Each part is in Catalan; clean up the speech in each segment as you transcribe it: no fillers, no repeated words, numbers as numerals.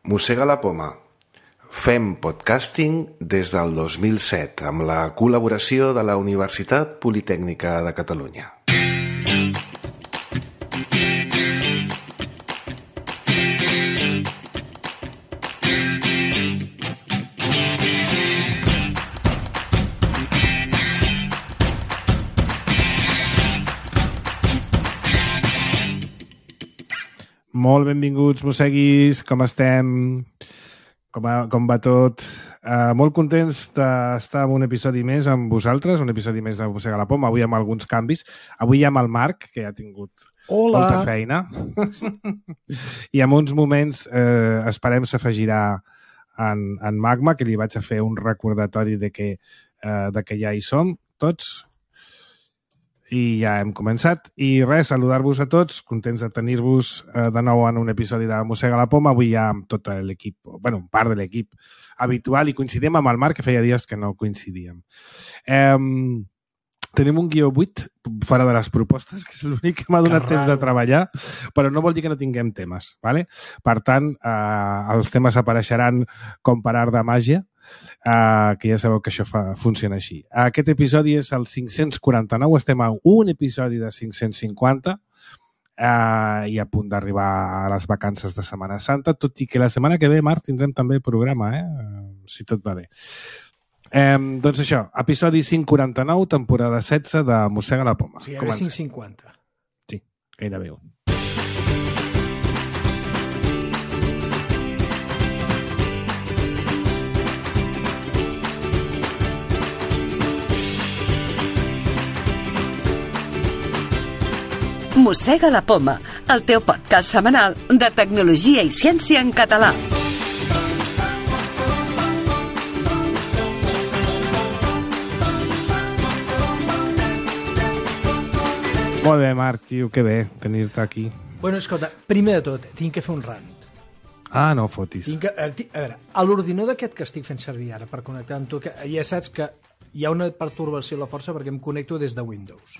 Mossega la poma. Fem podcasting des del 2007 amb la col·laboració de la Universitat Politècnica de Catalunya. Molt benvinguts, mosseguis, com estem? Com va tot? Molt contents d'estar en un episodi més amb vosaltres, un episodi més de Mossega la Poma, avui amb alguns canvis. Avui hi ha amb el Marc, que ja ha tingut molta feina. I en uns moments esperem s'afegirà en Magma, que li vaig a fer un recordatori de que ja hi som tots. I ja hem començat. I res, saludar-vos a tots, contents de tenir-vos de nou en un episodi de Mossega la Poma. Avui ja amb tot l'equip, bueno, un part de l'equip habitual, i coincidim amb el Marc, que feia dies que no coincidíem. Tenim un guió buit fora de les propostes, que és l'únic que m'ha donat temps de treballar, però no vol dir que no tinguem temes, ¿vale? Per tant, els temes apareixeran com per art de màgia, que ja sabeu que això funciona així. Aquest episodi és el 549, estem a un episodi de 550 i a punt d'arribar a les vacances de Setmana Santa, tot i que la setmana que ve, Marc, tindrem també programa, si tot va bé. Doncs això, episodi 549, temporada 16 de Mossega la Poma. Sí, gairebé 550. Sí, gairebé un. Mossega la Poma, el teu podcast setmanal de tecnologia i ciència en català. Molt bé, Marc, tio, que bé tenir-te aquí. Bueno, escolta, primer de tot, tinc que fer un rant. Ah, no fotis. A veure, a l'ordinador aquest que estic fent servir ara per connectar amb tu, que ja saps que hi ha una pertorbació a la força perquè em connecto des de Windows.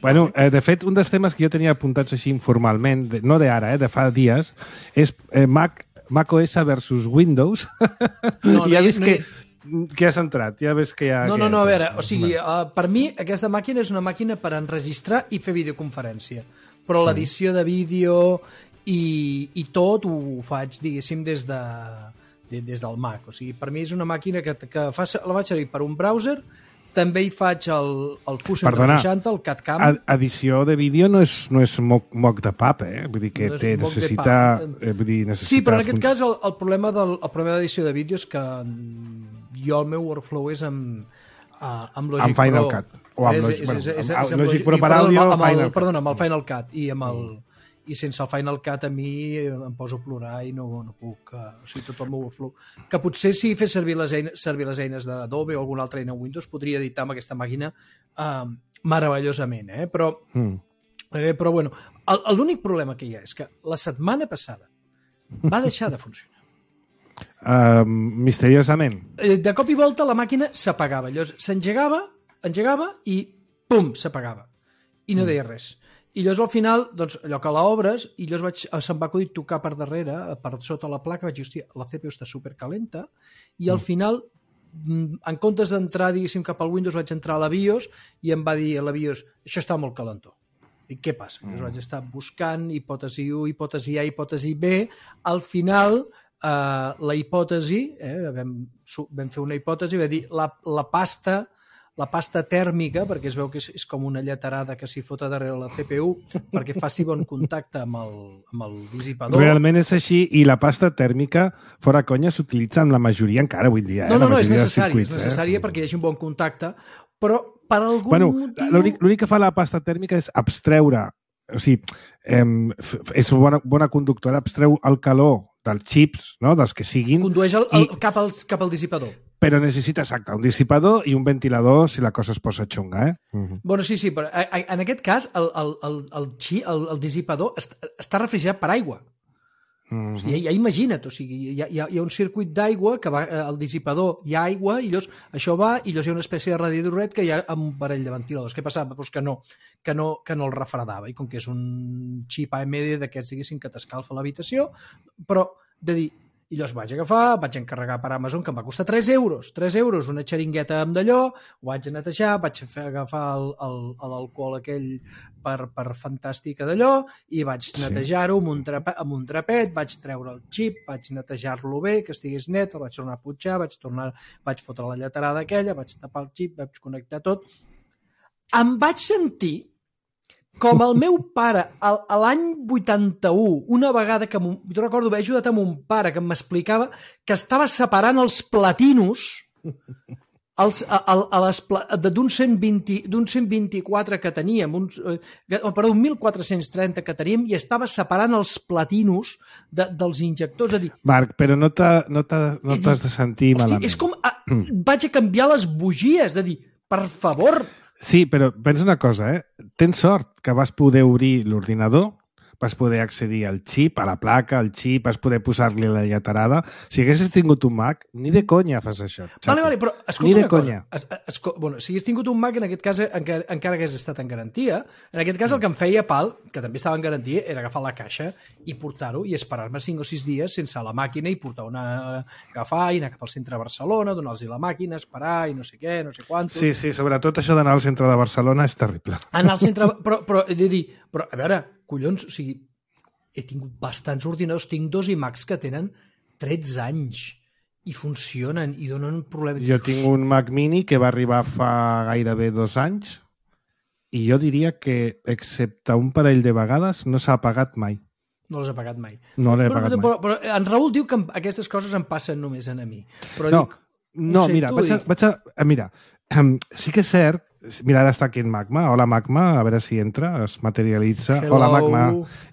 Bueno, de fet, un dels temes que jo tenia apuntats així informalment, no d'ara, de fa dies, és Mac OS versus Windows. I ja ves que has entrat, ja ves que hi ha... No, a veure, o sigui, per mi aquesta màquina és una màquina per enregistrar i fer videoconferència, però l'edició de vídeo i tot ho faig, diguéssim, des del Mac. O sigui, per mi és una màquina que la vaig servir per un browser. També hi faig el Fusion 360, el CAD-CAM. Edició de vídeo no és moc de pap, Vull dir que necessita... Sí, però en aquest cas el problema d'edició de vídeo és que jo el meu workflow és amb Logic Pro. Amb Final Cut. O amb Logic Pro per àudio, Final Cut. Perdona, amb el Final Cut i sense el Final Cut a mi em poso a plorar i no puc, o sigui, tot el meu workflow. Que potser si fes servir les eines d'Adobe o alguna altra eina Windows podria editar amb aquesta màquina meravellosament, però bueno, l'únic problema que hi ha és que la setmana passada va deixar de funcionar. Misteriosament. De cop i volta la màquina s'apagava, llavors s'engegava i pum, s'apagava i no deia res. I llavors al final, doncs, allò que l'obres, i llavors se'm va acudir tocar per darrere, per sota la placa, vaig dir, hòstia, la CPU està supercalenta, i al final, en comptes d'entrar, diguéssim, cap al Windows, vaig entrar a la BIOS, i em va dir a la BIOS, això està molt calentó. I què passa? Llavors vaig estar buscant hipòtesi 1, hipòtesi A, hipòtesi B, al final, la hipòtesi, vam fer una hipòtesi, va dir, la pasta tèrmica, perquè es veu que és com una lleterada que s'hi fota darrere la CPU perquè faci bon contacte amb el dissipador. Realment és així, i la pasta tèrmica, fora conya, s'utilitza en la majoria encara avui dia. No, és necessària perquè hi hagi un bon contacte, però per algun motiu... L'únic que fa la pasta tèrmica és abstreure, o sigui, és bona conductora, abstreu el calor dels xips, no?, dels que siguin... Condueix cap al dissipador. Però necessita, exacte, un dissipador i un ventilador si la cosa es posa xunga, Bueno, sí, però en aquest cas el dissipador està refrigerat per aigua. O sigui, ja imagina't, o sigui, hi ha un circuit d'aigua que va al dissipador, hi ha aigua i llavors això va i llavors hi ha una espècie de radiadoret que hi ha amb un parell de ventiladors. Què passava? Pues que no el refredava, i com que és un xip AMD d'aquests, diguéssim, que t'escalfa l'habitació, però de dir, I llavors vaig agafar, vaig encarregar per Amazon, que em va costar 3 euros. 3 euros, una xeringueta amb d'allò, ho vaig netejar, vaig agafar l'alcohol aquell per fantàstica d'allò, i vaig netejar-ho amb un trapet, vaig treure el xip, vaig netejar-lo bé, que estigués net, el vaig tornar a punxar, vaig fotre la lleterada aquella, vaig tapar el xip, vaig connectar tot. Em vaig sentir com el meu pare, a l'any 81, una vegada que... Jo recordo haver ajudat a mon pare, que m'explicava que estava separant els platinos d'un 124 que teníem, perdó, un 1430 que teníem, i estava separant els platinos dels injectors. És a dir, Marc, però no t'has de sentir malament. És com... Vaig a canviar les bugies, de dir, per favor... Sí, però pensa una cosa, Tens sort que vas poder obrir l'ordinador, vas poder accedir al xip, a la placa, al xip, vas poder posar-li la lleterada. Si haguessis tingut un Mac, ni de conya fas això. Vale, però escolta ni de una conya. cosa. Bueno, si hagués tingut un Mac, en aquest cas encara hagués estat en garantia. En aquest cas el que em feia pal, que també estava en garantia, era agafar la caixa i portar-ho i esperar-me 5 o 6 dies sense la màquina i portar agafar i anar cap al centre de Barcelona, donar-los la màquina, esperar i no sé què, no sé quantos. Sí, sobretot això d'anar al centre de Barcelona és terrible. Anar al centre... Però he de dir, a veure, collons, o sigui, he tingut bastants ordinadors, tinc 2 iMacs que tenen 13 anys i funcionen i donen problemes. Jo tinc un Mac Mini que va arribar fa gairebé 2 anys i jo diria que, excepte un parell de vegades, no s'ha apagat mai. No les he pagat mai. No l'he pagat mai. Però en Raül diu que aquestes coses em passen només a mi. Però mira, mira, sí que és cert. Mira, ara està aquí en Magma. Hola, Magma. A veure si entra, es materialitza. Hello. Hola, Magma.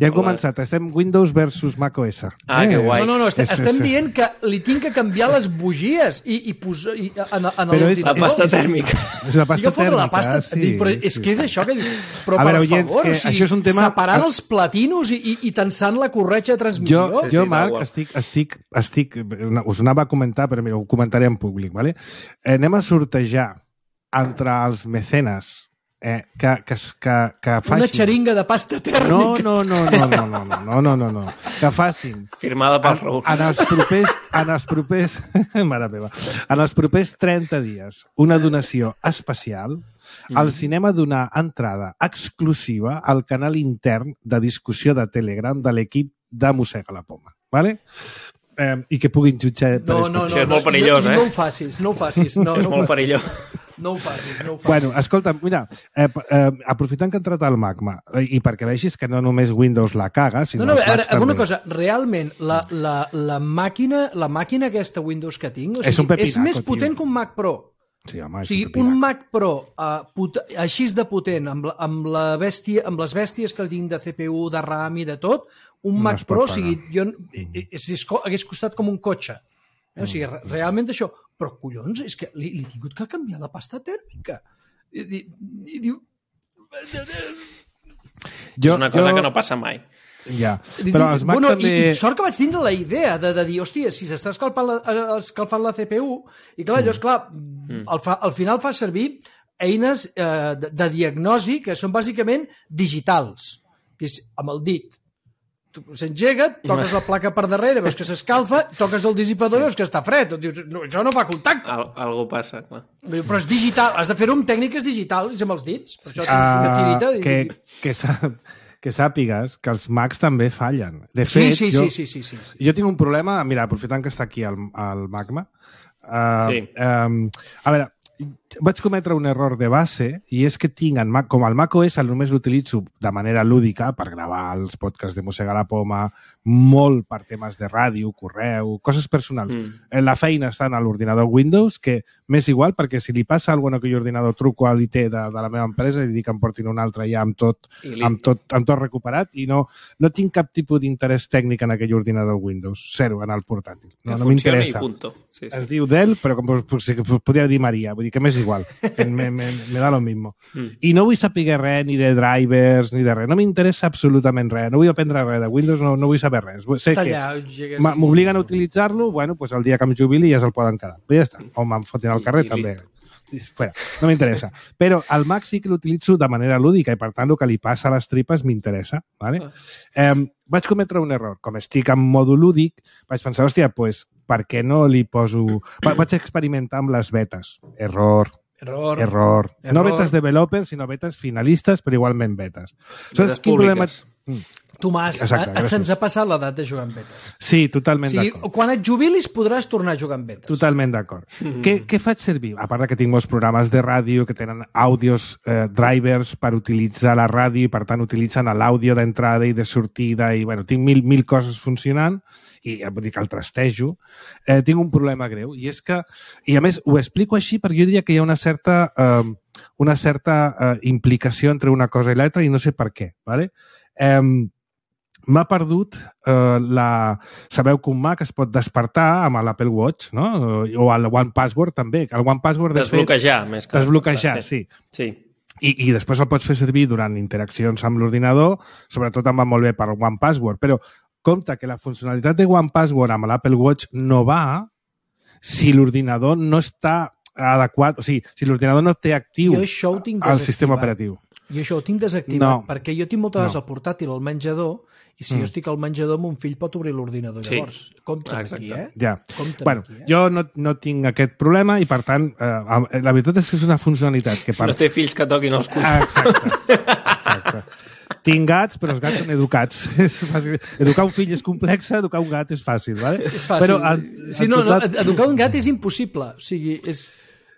Ja hem començat. Estem Windows versus macOS. Que guai. No, estem dient que li tinc que canviar les bugies i posar... Però és la pasta tèrmica. És la pasta tèrmica, sí. Però és que és això que dic. Però a veure, per favor, això és un tema... separant els platinos i tensant la corretja de transmissió. Jo, Marc, estic... Us anava a comentar, però mira, ho comentaré en públic, ¿vale? Anem a sortejar entre els mecenes que facin... Una xeringa de pasta tèrmica. No. Que facin... Firmada pel Raül. En els propers... Mare meva. En els propers 30 dies, una donació especial, el cinema donar entrada exclusiva al canal intern de discussió de Telegram de l'equip de Mossega la Poma. ¿Vale? I que puguin jutjar... No, és molt perillós, No ho facis. És molt perillós. No ho facis. Bueno, escolta, mira, aprofitant que ha entrat el Magma, i perquè vegis que no només Windows la caga, sinó els Macs Macs també. Una cosa, realment, la màquina aquesta Windows que tinc, és un pepinaco, és més potent que un Mac Pro. Sí, home, o sigui, un Mac Pro així de potent, amb les bèsties que tinc de CPU, de RAM i de tot, un Mac Pro, o sigui, hagués costat com un cotxe. O sigui, realment això... Però, collons, és que li he tingut que canviar la pasta tèrmica. I diu... És una cosa que no passa mai. Ja, però els Mac també... I sort que vaig tindre la idea de dir, hòstia, si s'està escalfant la CPU, i clar, llavors, clar, al final fa servir eines de diagnosi que són bàsicament digitals, que és amb el dit. S'engega, toques la placa per darrere, veus que s'escalfa, toques el dissipador i veus que està fred. Dius, no, això no fa contacte. Algú passa, clar. Però és digital, has de fer-ho amb tècniques digitals, amb els dits. Per això tens una tirita. Que sàpigues que els Macs també fallen. De fet, sí. Jo tinc un problema, mira, aprofitant que està aquí el Magma, a veure, vaig cometre un error de base i és que tinc en Mac, com el macOS només l'utilitzo de manera lúdica per gravar els podcasts de Mossega la Poma, molt per temes de ràdio, correu, coses personals. La feina està en l'ordinador Windows, que m'és igual perquè si li passa alguna cosa que ordinador truco a l'IT de la meva empresa i dic que em portin un altre ja amb tot recuperat i no tinc cap tipus d'interès tècnic en aquell ordinador Windows. Zero en el portàtil. No m'interessa. Sí. Es diu Dell, però com podria dir Maria, vull dir que m'és igual. Me da lo mismo. I no vull saber res ni de drivers ni de res. No m'interessa absolutament res. No vull aprendre res de Windows, no vull saber res. Sé que m'obliguen a utilitzar-lo, bueno, pues el dia que em jubili ja se'l poden quedar. Però ja està. O me'n fotin al carrer, també. fuera, no m'interessa. Però el Mac sí que l'utilitzo de manera lúdica i, per tant, el que li passa a les tripes m'interessa. Vale? Vaig cometre un error. Com estic en mòdul lúdic, vaig pensar, hòstia, pues, per què no li poso... Vaig experimentar amb les betes. Error. No betes developers, sinó betes finalistes, però igualment betes. Betes públiques. Tomàs, se'ns ha passat l'edat de jugar amb betes. Sí, totalment d'acord. Quan et jubilis podràs tornar a jugar amb betes. Totalment d'acord. Què faig servir? A part que tinc molts programes de ràdio que tenen àudios, drivers per utilitzar la ràdio i, per tant, utilitzen l'àudio d'entrada i de sortida i, bueno, tinc mil coses funcionant i vull dir que el trastejo. Tinc un problema greu i és que, i a més ho explico així perquè jo diria que hi ha una certa implicació entre una cosa i l'altra i no sé per què, ¿vale? M'ha perdut Sabeu que un Mac es pot despertar amb l'Apple Watch, no? O el One Password també. El One Password, desbloquejar, més que... Desbloquejar, sí. I després el pots fer servir durant interaccions amb l'ordinador, sobretot em va molt bé per One Password, però compte que la funcionalitat de One Password amb l'Apple Watch no va si l'ordinador no està adequat, o sigui, si l'ordinador no té actiu el sistema operatiu. Jo això ho tinc desactivat, perquè jo tinc moltes vegades el portàtil al menjador i si jo estic al menjador, mon fill pot obrir l'ordinador. Llavors, compte aquí, Ja. Bueno, jo no tinc aquest problema i, per tant, la veritat és que és una funcionalitat que... No té fills que toquin els collons. Exacte. Tinc gats, però els gats són educats. És fàcil. Educar un fill és complex, educar un gat és fàcil, ¿vale? És fàcil. Però, educar un gat és impossible. O sigui,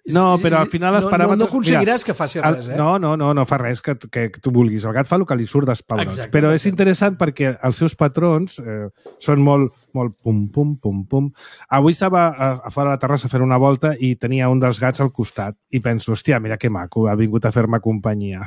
no, però al final els paràmetres... No aconseguiràs que faci res, No fa res que tu vulguis. El gat fa el que li surt dels pebrots. Però és interessant perquè els seus patrons són molt pum, pum, pum, pum. Avui estava a fora de la terrassa a fer una volta i tenia un dels gats al costat i penso, hòstia, mira que maco, ha vingut a fer-me companyia.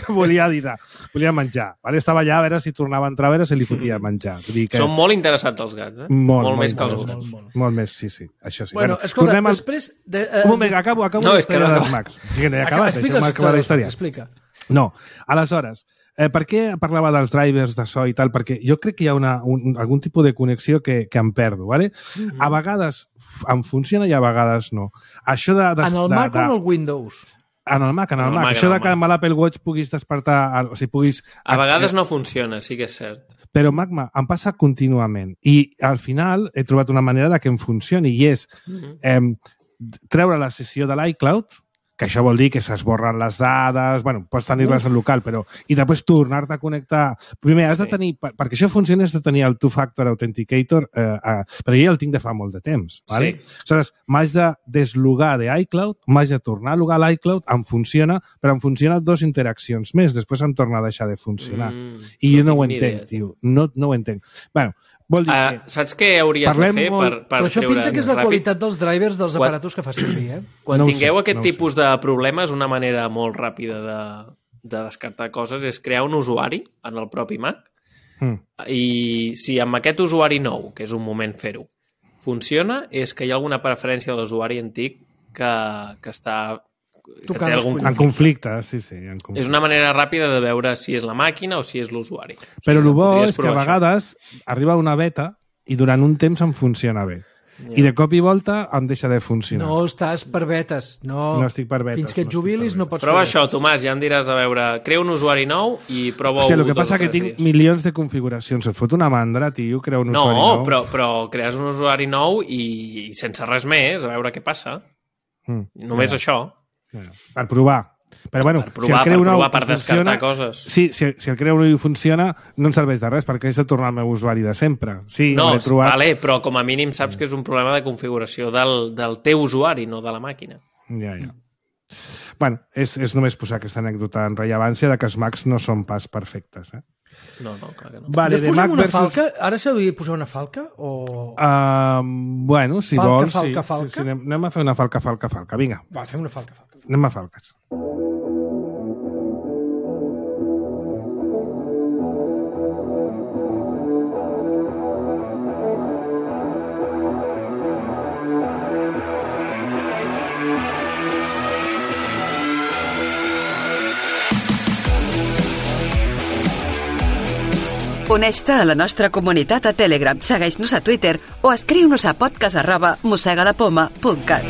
Volia dinar, volia menjar. Estava allà a veure si tornava a entrar, a veure si li fotia menjar. Són molt interessats els gats, Molt més que els gossos. Molt més, sí. Això sí. Bueno, escolta, després... Un moment, acabo la història dels Macs. Acaba la història. Explica. No, aleshores, per què parlava dels drivers de so i tal? Perquè jo crec que hi ha algun tipus de connexió que em perdo, ¿vale? A vegades em funciona i a vegades no. Això en el Mac o en el Windows? En el Mac. Això que amb l'Apple Watch puguis despertar... O sigui, puguis... A vegades no funciona, sí que és cert. Però Magma em passa contínuament. I al final he trobat una manera de que em funcioni i és treure la sessió de l'iCloud, que això vol dir que s'esborren les dades, bueno, pots tenir-les en local, però... I després tornar-te a connectar... Primer, has de tenir... Perquè això funcioni, has de tenir el Two-Factor Authenticator, però jo el tinc de fa molt de temps, ¿vale? Aleshores, m'haig de deslogar de iCloud, m'haig de tornar a logar a l'iCloud, em funciona, però em funciona 2 interaccions més, després em torna a deixar de funcionar. I jo no ho entenc, tio. No ho entenc. Bueno, vol dir que... Saps què hauries de fer per però això pinta que és la qualitat dels drivers dels aparatos que fa servir, Quan tingueu aquest tipus de problemes, una manera molt ràpida de descartar coses és crear un usuari en el propi Mac i si amb aquest usuari nou, que és un moment fer-ho, funciona, és que hi ha alguna preferència de l'usuari antic que està... En conflicte, sí. És una manera ràpida de veure si és la màquina o si és l'usuari. Però el bo és que a vegades arriba una beta i durant un temps em funciona bé. I de cop i volta em deixa de funcionar. No estàs per betes. No estic per betes. Fins que et jubilis no pots Prova això, Tomàs, ja em diràs a veure... Crea un usuari nou i prova-ho... El que passa que tinc milions de configuracions. Et fot una mandra, tio, crear un usuari nou. No, però crees un usuari nou i sense res més, a veure què passa. Només això. Per provar. Però bueno, si el creu nou per descartar coses. Sí, si el creu nou funciona, no em serveix de res, perquè és de tornar al meu usuari de sempre. Sí, vale, però com a mínim saps que és un problema de configuració del teu usuari, no de la màquina. Ja. Bueno, és només posar aquesta anècdota en rellevància de que els Macs no són pas perfectes, No, clar que no. Vale, de Mac versus... falca? Ara s'ha de posar una falca? O... Bueno, si vols... Falca. Sí, anem a fer una falca. Vinga. Va, fem una falca. Anem a falques. Uneix-te a la nostra comunitat a Telegram, segueix-nos a Twitter o escriu-nos a podcast@mossegadapoma.cat.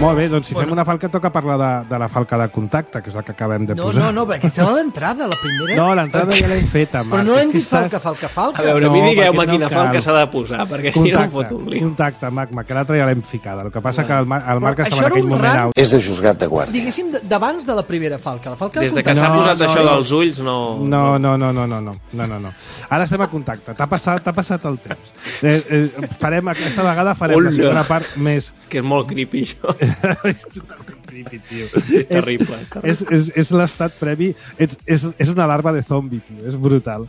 Molt bé, doncs si fem una falca toca parlar de la falca de contacte, que és la que acabem de posar. No, perquè aquesta era l'entrada, la primera. No, l'entrada ja l'hem feta, Marc. Però no hem dit falca. A veure, a mi digueu-me quina falca s'ha de posar, perquè si no em foto un lío. Contacte, Magma, que l'altra ja l'hem ficada. El que passa que el Marc estava en aquell moment out. És de juzgat de guàrdia. Diguéssim, d'abans de la primera falca. La falca Des de que s'ha posat això dels ulls, no... No. Ara estem a contacte. T'ha passat el temps. Aquesta vegada farem la segona part més... Que és molt creepy, això. És totalment creepy, tio. És terrible. És l'estat previ. És una larva de zombi, tio. És brutal.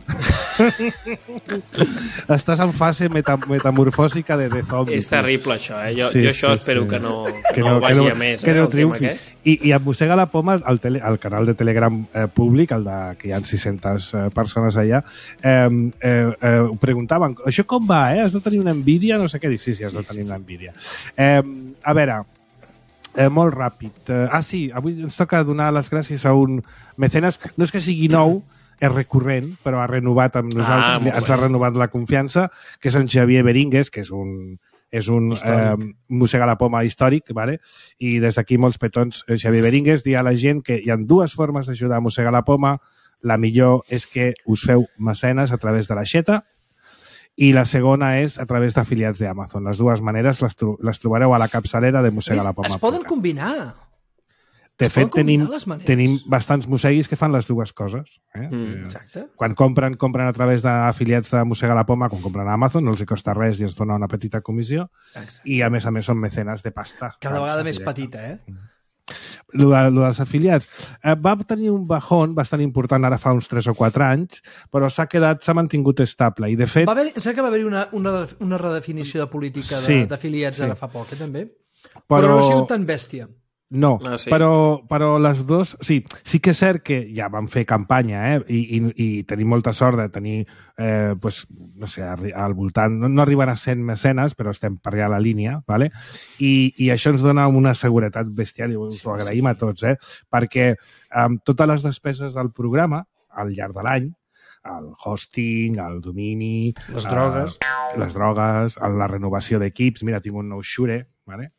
Estàs en fase metamorfòsica de zombi. És terrible, això, eh? Jo això espero que no vagi a més. Que no triomfi. I em mossega la poma al canal de Telegram públic, que hi ha 600 persones allà, ho preguntaven, això com va, Has de tenir una Nvidia? No sé què dir. Sí, has de tenir una Nvidia. A veure, molt ràpid. Sí, avui ens toca donar les gràcies a un mecenes. No és que sigui nou, és recurrent, però ha renovat amb nosaltres, ens ha renovat la confiança, que és en Xavier Beringues, que és un mossega la poma històric, vale? I des d'aquí molts petons, Xavier Beringues, dir a la gent que hi ha dues formes d'ajudar a mossegar la poma. La millor és que us feu mecenes a través de l'aixeta, i la segona és a través d'afiliats d'Amazon. Les dues maneres les trobareu a la capçalera de Mossega la Poma. Es poden combinar. De fet, tenim bastants mosseguis que fan les dues coses. Exacte. Quan compren a través d'afiliats de Mossega la Poma, quan compren a Amazon, no els costa res i ens dona una petita comissió. Exacte. I a més són mecenes de pasta. Cada vegada més petita, Lo dels afiliats. Va tenir un bajón bastant important ara fa uns 3 o 4 anys, però s'ha mantingut estable. I de fet... Sé que va haver-hi una redefinició de política d'afiliats ara fa poc, també? Però no ha sigut tan bèstia. No, però les dues... Sí que és cert que ja vam fer campanya i tenim molta sort de tenir, no sé, al voltant... No arriben a 100 mecenes, però estem per allà a la línia, ¿vale? I això ens dona una seguretat bestial i us ho agraïm a tots, perquè totes les despeses del programa, al llarg de l'any, el hosting, el domini... Les drogues, la renovació d'equips... Mira, tinc un nou Shure, ¿vale?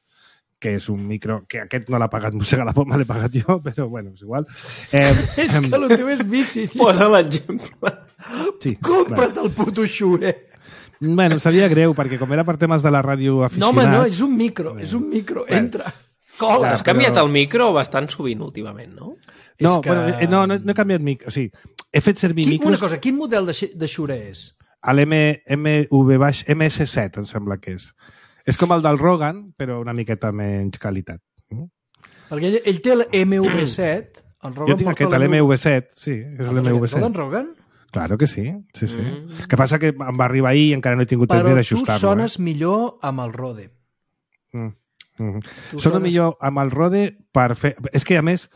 Que és un micro, que aquest no l'ha pagat Mossega la Poma, l'he pagat jo, però bueno, és igual. És que el teu és bici, tio. Posa l'exemple. Sí, compra't el puto Shure. Bueno, seria greu, perquè com era per temes de la ràdio aficionats... No, home, no, és un micro, entra. Cola. Has canviat el micro bastant sovint últimament, no? No he canviat micro, o sigui, he fet servir micros... Una cosa, quin model de Shure és? MS7, em sembla que és. És com el del Rogan, però una miqueta menys qualitat. Perquè ell té l'MV7. Jo tinc aquest, l'MV7, sí. És l'MV7. El d'en Rogan? Claro que sí. Que passa que em va arribar ahir i encara no he tingut temps d'ajustar-lo. Però tu sones millor amb el Rode. Sono millor amb el Rode per fer... És que, a més,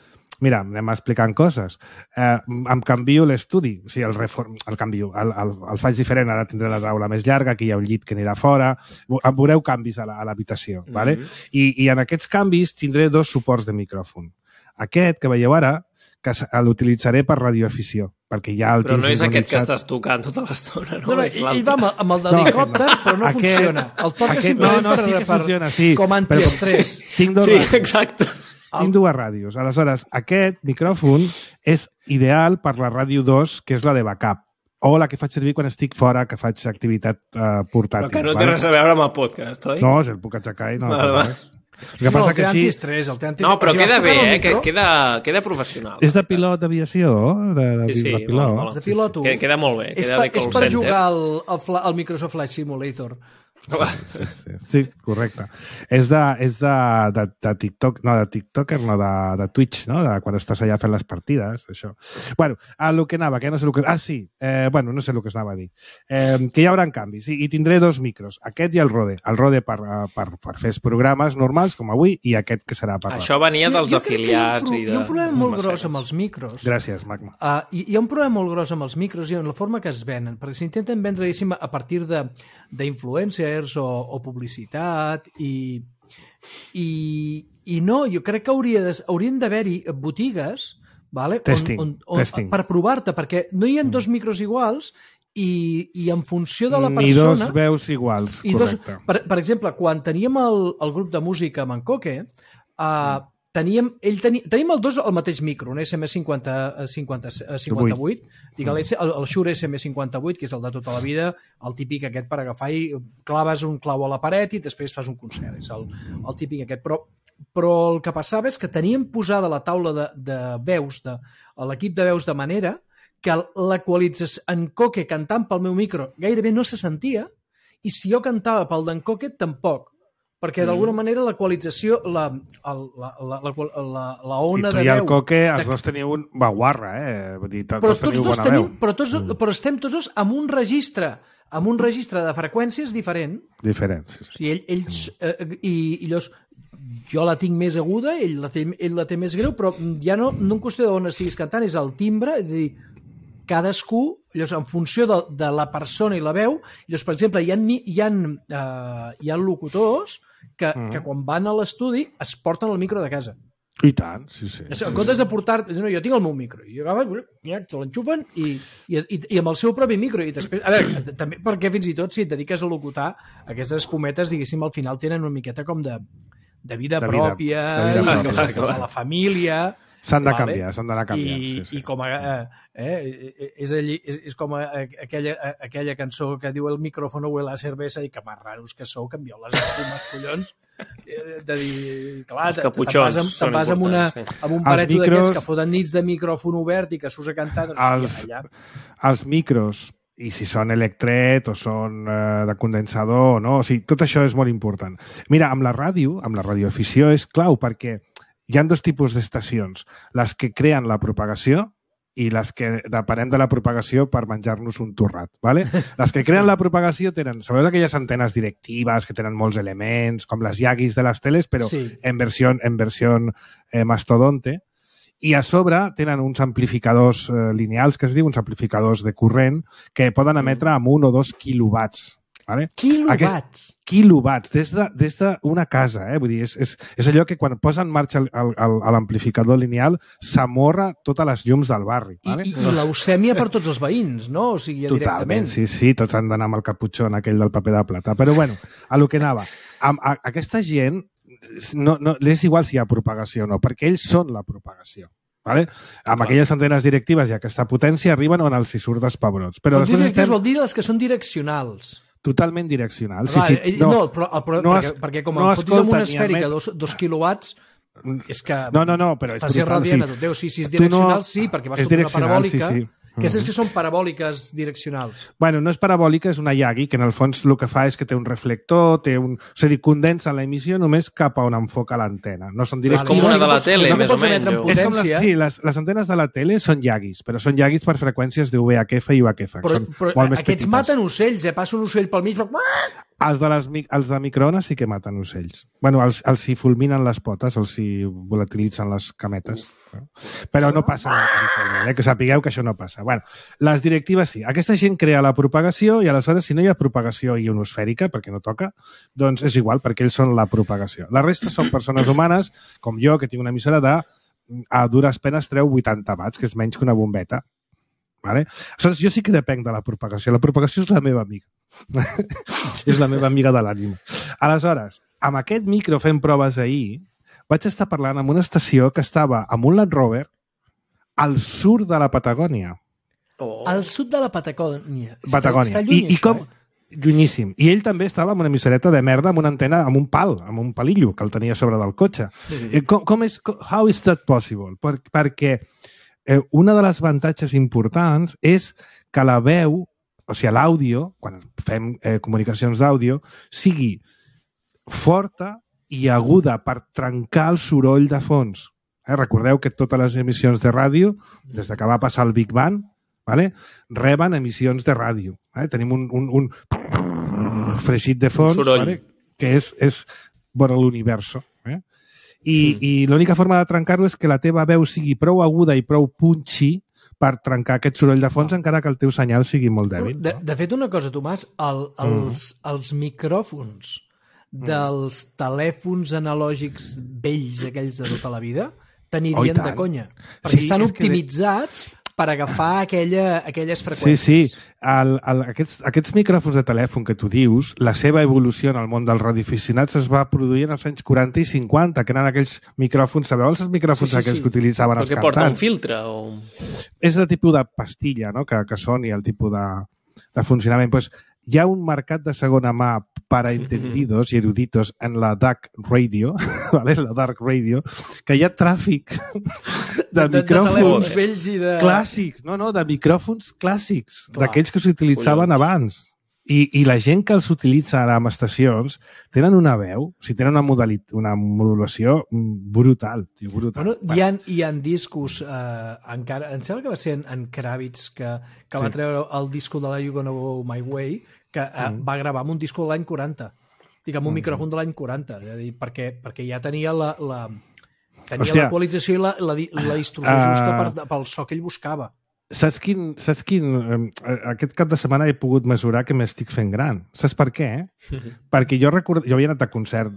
mira, anem explicant coses. Em canvio l'estudi, o sigui, el canvio, el faig diferent, ara tindré la taula més llarga, aquí hi ha un llit que anirà fora, veureu canvis a l'habitació, ¿vale? I en aquests canvis tindré 2 suports de micròfon. Aquest, que veieu ara, que l'utilitzaré per radioafició, perquè ja el tinc sincronitzat. Però no és aquest que estàs tocant tota l'estona, no? Ell va amb el d'helicòpter, però no funciona. El toca simplement com antiestrès. Tinc 2 ràdios. Sí, exacte. Tinc 2 ràdios. Aleshores, aquest micròfon és ideal per la ràdio 2, que és la de backup, o la que faig servir quan estic fora, que faig activitat portàtil. Però que no té res a veure amb el podcast, oi? No, el puc aixecar i no passa res. El té antiestrès. No, però queda bé, queda professional. És de pilot d'aviació? Sí, de piloto. Queda molt bé. És per jugar al Microsoft Flight Simulator. Sí, correcte. És de TikTok, no, de TikToker, no, de Twitch, no? De quan estàs allà fent les partides, això. Bueno, el que anava, que no sé el que... bueno, no sé el que es anava a dir. Que hi haurà canvis, i tindré 2 micros, aquest i el Rode. El Rode per fer programes normals, com avui, i aquest que serà per... Això venia dels afiliats i de... Hi ha un problema molt gros amb els micros. Gràcies, Magma. Hi ha un problema molt gros amb els micros i en la forma que es venen, perquè s'intenten vendre, diguéssim, a partir d'influencers o publicitat i no, jo crec que haurien d'haver-hi botigues, vale? Testing. Per provar-te, perquè no hi ha 2 micros iguals i en funció de la persona... Ni 2 veus iguals, correcte. Per exemple, quan teníem el grup de música amb en Coque, tenim els dos el mateix micro, un SM58, dic, el Shure SM58, que és el de tota la vida, el típic aquest per agafar i claves un clau a la paret i després fas un concert, és el típic aquest, però el que passava és que teníem posada la taula de veus, l'equip de veus, de manera que l'equalització en Coque cantant pel meu micro gairebé no se sentia, i si jo cantava pel d'en Coque tampoc, perquè d'alguna manera l'equalització, la ona de veu... I tu i el Coque, els dos teniu un baguarra, Vull dir, tots teniu bona veu. Però estem tots dos amb un registre de freqüències diferent. Diferents, sí. O sigui, ells... I llavors, jo la tinc més aguda, ell la té més greu, però ja no en qüestió d'on estiguis cantant, és el timbre, és a dir, cadascú, llavors, en funció de la persona i la veu, llavors, per exemple, hi ha locutors que quan van a l'estudi es porten el micro de casa. I tant, sí. En comptes de portar... No, jo tinc el meu micro, i te l'enxufen i amb el seu propi micro, i després... A veure, també perquè fins i tot si et dediques a locutar, aquestes espumetes, diguéssim, al final tenen una miqueta com de vida pròpia, de la família... S'han de canviar, s'han d'anar canviant. I com és com aquella cançó que diu el micrófono huele a cervesa i que més raros que sou, canvieu les espumes, collons. De dir, clar, te'n vas amb un pareto d'aquests que foten nits de micròfon obert i que surts a cantar. Els micros, i si són electret o són de condensador, no? O sigui, tot això és molt important. Mira, amb la radioafició és clau perquè hi ha dos tipus d'estacions, les que creen la propagació i les que depenem de la propagació per menjar-nos un torrat. ¿Vale? Les que creen la propagació tenen, sabeu aquelles antenes directives que tenen molts elements, com les Yagis de les teles, però en versió mastodonte, i a sobre tenen uns amplificadors lineals, que es diu, uns amplificadors de corrent, que poden emetre amb 1 o 2 quilowatts. ¿Vale? Quilowatts, des d'una casa, Vull dir, és allò que quan posa en marxa l'amplificador lineal s'amorra totes les llums del barri. ¿Vale? I leucèmia per tots els veïns, no? O sigui, totalment, sí, tots han d'anar amb el caputxó aquell del paper de plata. Però bueno, a lo que anava, aquesta gent no és igual si hi ha propagació o no, perquè ells són la propagació. ¿Vale? Amb aquelles antenes directives i aquesta potència arriben on els hi surt dels pebrots. Però directives vol dir les que són direccionals. Totalment direccional. Perquè com em fotis amb una esfèrica 2 quilowatts, és que però estàs irradiant a tot Déu. Si és direccional, sí, perquè vas sobre una parabòlica. Aquestes que són parabòliques direccionals. Bueno, no és parabòlica, és una Yagi, que en el fons el que fa és que té un reflector, o sigui, condensa l'emissió només cap a on enfoca l'antena. No són és com una de la tele, més o menys. Sí, les antenes de la tele són Yagis, però són Yagis per freqüències de VHF i UHF. Però aquests maten ocells, passa un ocell pel mig... Els de microones sí que maten ocells. Bueno, els hi fulminen les potes, els hi volatilitzen les cametes. Però no passa res, que sapigueu que això no passa. Bueno, les directives sí. Aquesta gent crea la propagació i aleshores si no hi ha propagació ionosfèrica, perquè no toca, doncs és igual, perquè ells són la propagació. La resta són persones humanes, com jo, que tinc una emissora a dures penes treu 80 watts, que és menys que una bombeta. Vale? Aleshores, jo sí que depenc de la propagació. La propagació és la meva amiga. És la meva amiga de l'ànima. Aleshores, amb aquest micro fent proves ahir, vaig estar parlant amb una estació que estava amb un Land Rover al sud de la Patagònia. Al sud de la Patagònia. Està lluny, I com... Llunyíssim. I ell també estava amb una emissoreta de merda, amb una antena, amb un pal, amb un palillo que el tenia sobre del cotxe. How is that possible? Perquè una de les avantatges importants és que la veu, o sigui, l'àudio, quan fem comunicacions d'àudio, sigui forta i aguda per trencar el soroll de fons. Recordeu que totes les emissions de ràdio, des que va passar el Big Bang, reben emissions de ràdio. Tenim un fregit de fons que és vora l'universo. I l'única forma de trencar-ho és que la teva veu sigui prou aguda i prou punchy per trencar aquest soroll de fons, encara que el teu senyal sigui molt dèbil. De fet, una cosa, Tomàs, els micròfons dels telèfons analògics vells, aquells de tota la vida, t'anirien de conya. Perquè estan optimitzats per agafar aquelles freqüències. Sí. Aquests micròfons de telèfon que tu dius, la seva evolució en el món dels radioaficionats es va produir en els anys 40 i 50, que eren aquells micròfons, sabeu els micròfons aquells que utilitzaven els cantants? Que porta un filtre? O... És el tipus de pastilla, no?, que són, i el tipus de funcionament. Pues, hi ha un mercat de segona mà para entendidos i eruditos en la dark radio, ¿vale? La dark radio, que hi ha tràfic de micròfons vells i de... clàssics, de micròfons clàssics, d'aquells que s'utilitzaven abans. I la gent que els utilitza ara en estacions tenen una veu, tenen una modulació brutal, tio, brutal. Bueno, hi ha discos, encara, em sembla que va ser en Kravitz que va treure el disco de la You Gonna Go My Way, que va gravar amb un disco de l'any 40, amb un micròfon de l'any 40, és a dir, perquè ja tenia l'equalització i la distorsió justa pel so que ell buscava. Saps quin... Aquest cap de setmana he pogut mesurar que m'estic fent gran. Saps per què? Perquè jo havia anat a concert,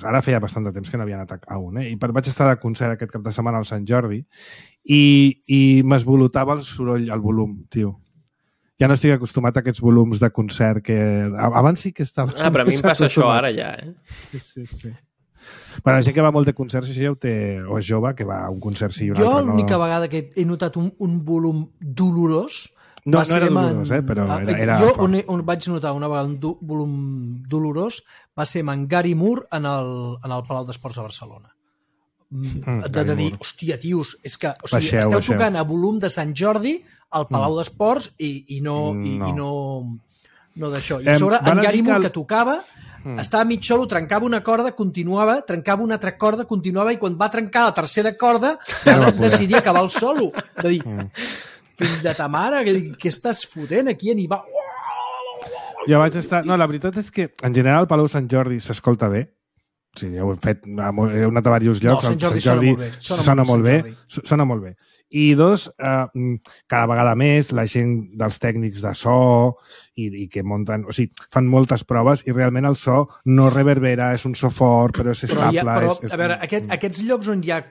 ara feia bastant de temps que no havia anat a un, i vaig estar de concert aquest cap de setmana al Sant Jordi i m'esvolotava el soroll, el volum, tio. Ja no estic acostumat a aquests volums de concert que... Abans sí que estava... Però a mi em passa això ara ja, Sí. Per la gent que va molt de concerts, això ja ho té, o és jove, que va a un concert sí i un altre no. Jo l'única vegada que he notat un volum dolorós... No era dolorós, però era jo on vaig notar una vegada un volum dolorós va ser amb en Gary Moore en el Palau d'Esports de Barcelona. De dir, hòstia, tios, és que esteu tocant a volum de Sant Jordi al Palau d'Esports i no d'això. I a sobre, en Gary Moore que tocava... Estava mig solo, trencava una corda, continuava, trencava una altra corda, continuava, i quan va trencar la tercera corda decidia acabar el solo. De dir, fill de ta mare, què estàs fotent aquí? I va... Ja vaig estar... No, la veritat és que en general el Palau Sant Jordi s'escolta bé. Sí, ja ho hem fet, he anat a diversos llocs. No, Sant Jordi sona molt bé. I dos, cada vegada més la gent dels tècnics de so i que munten, o sigui, fan moltes proves i realment el so no reverbera, és un so fort, però és estable. A veure, aquests llocs on hi ha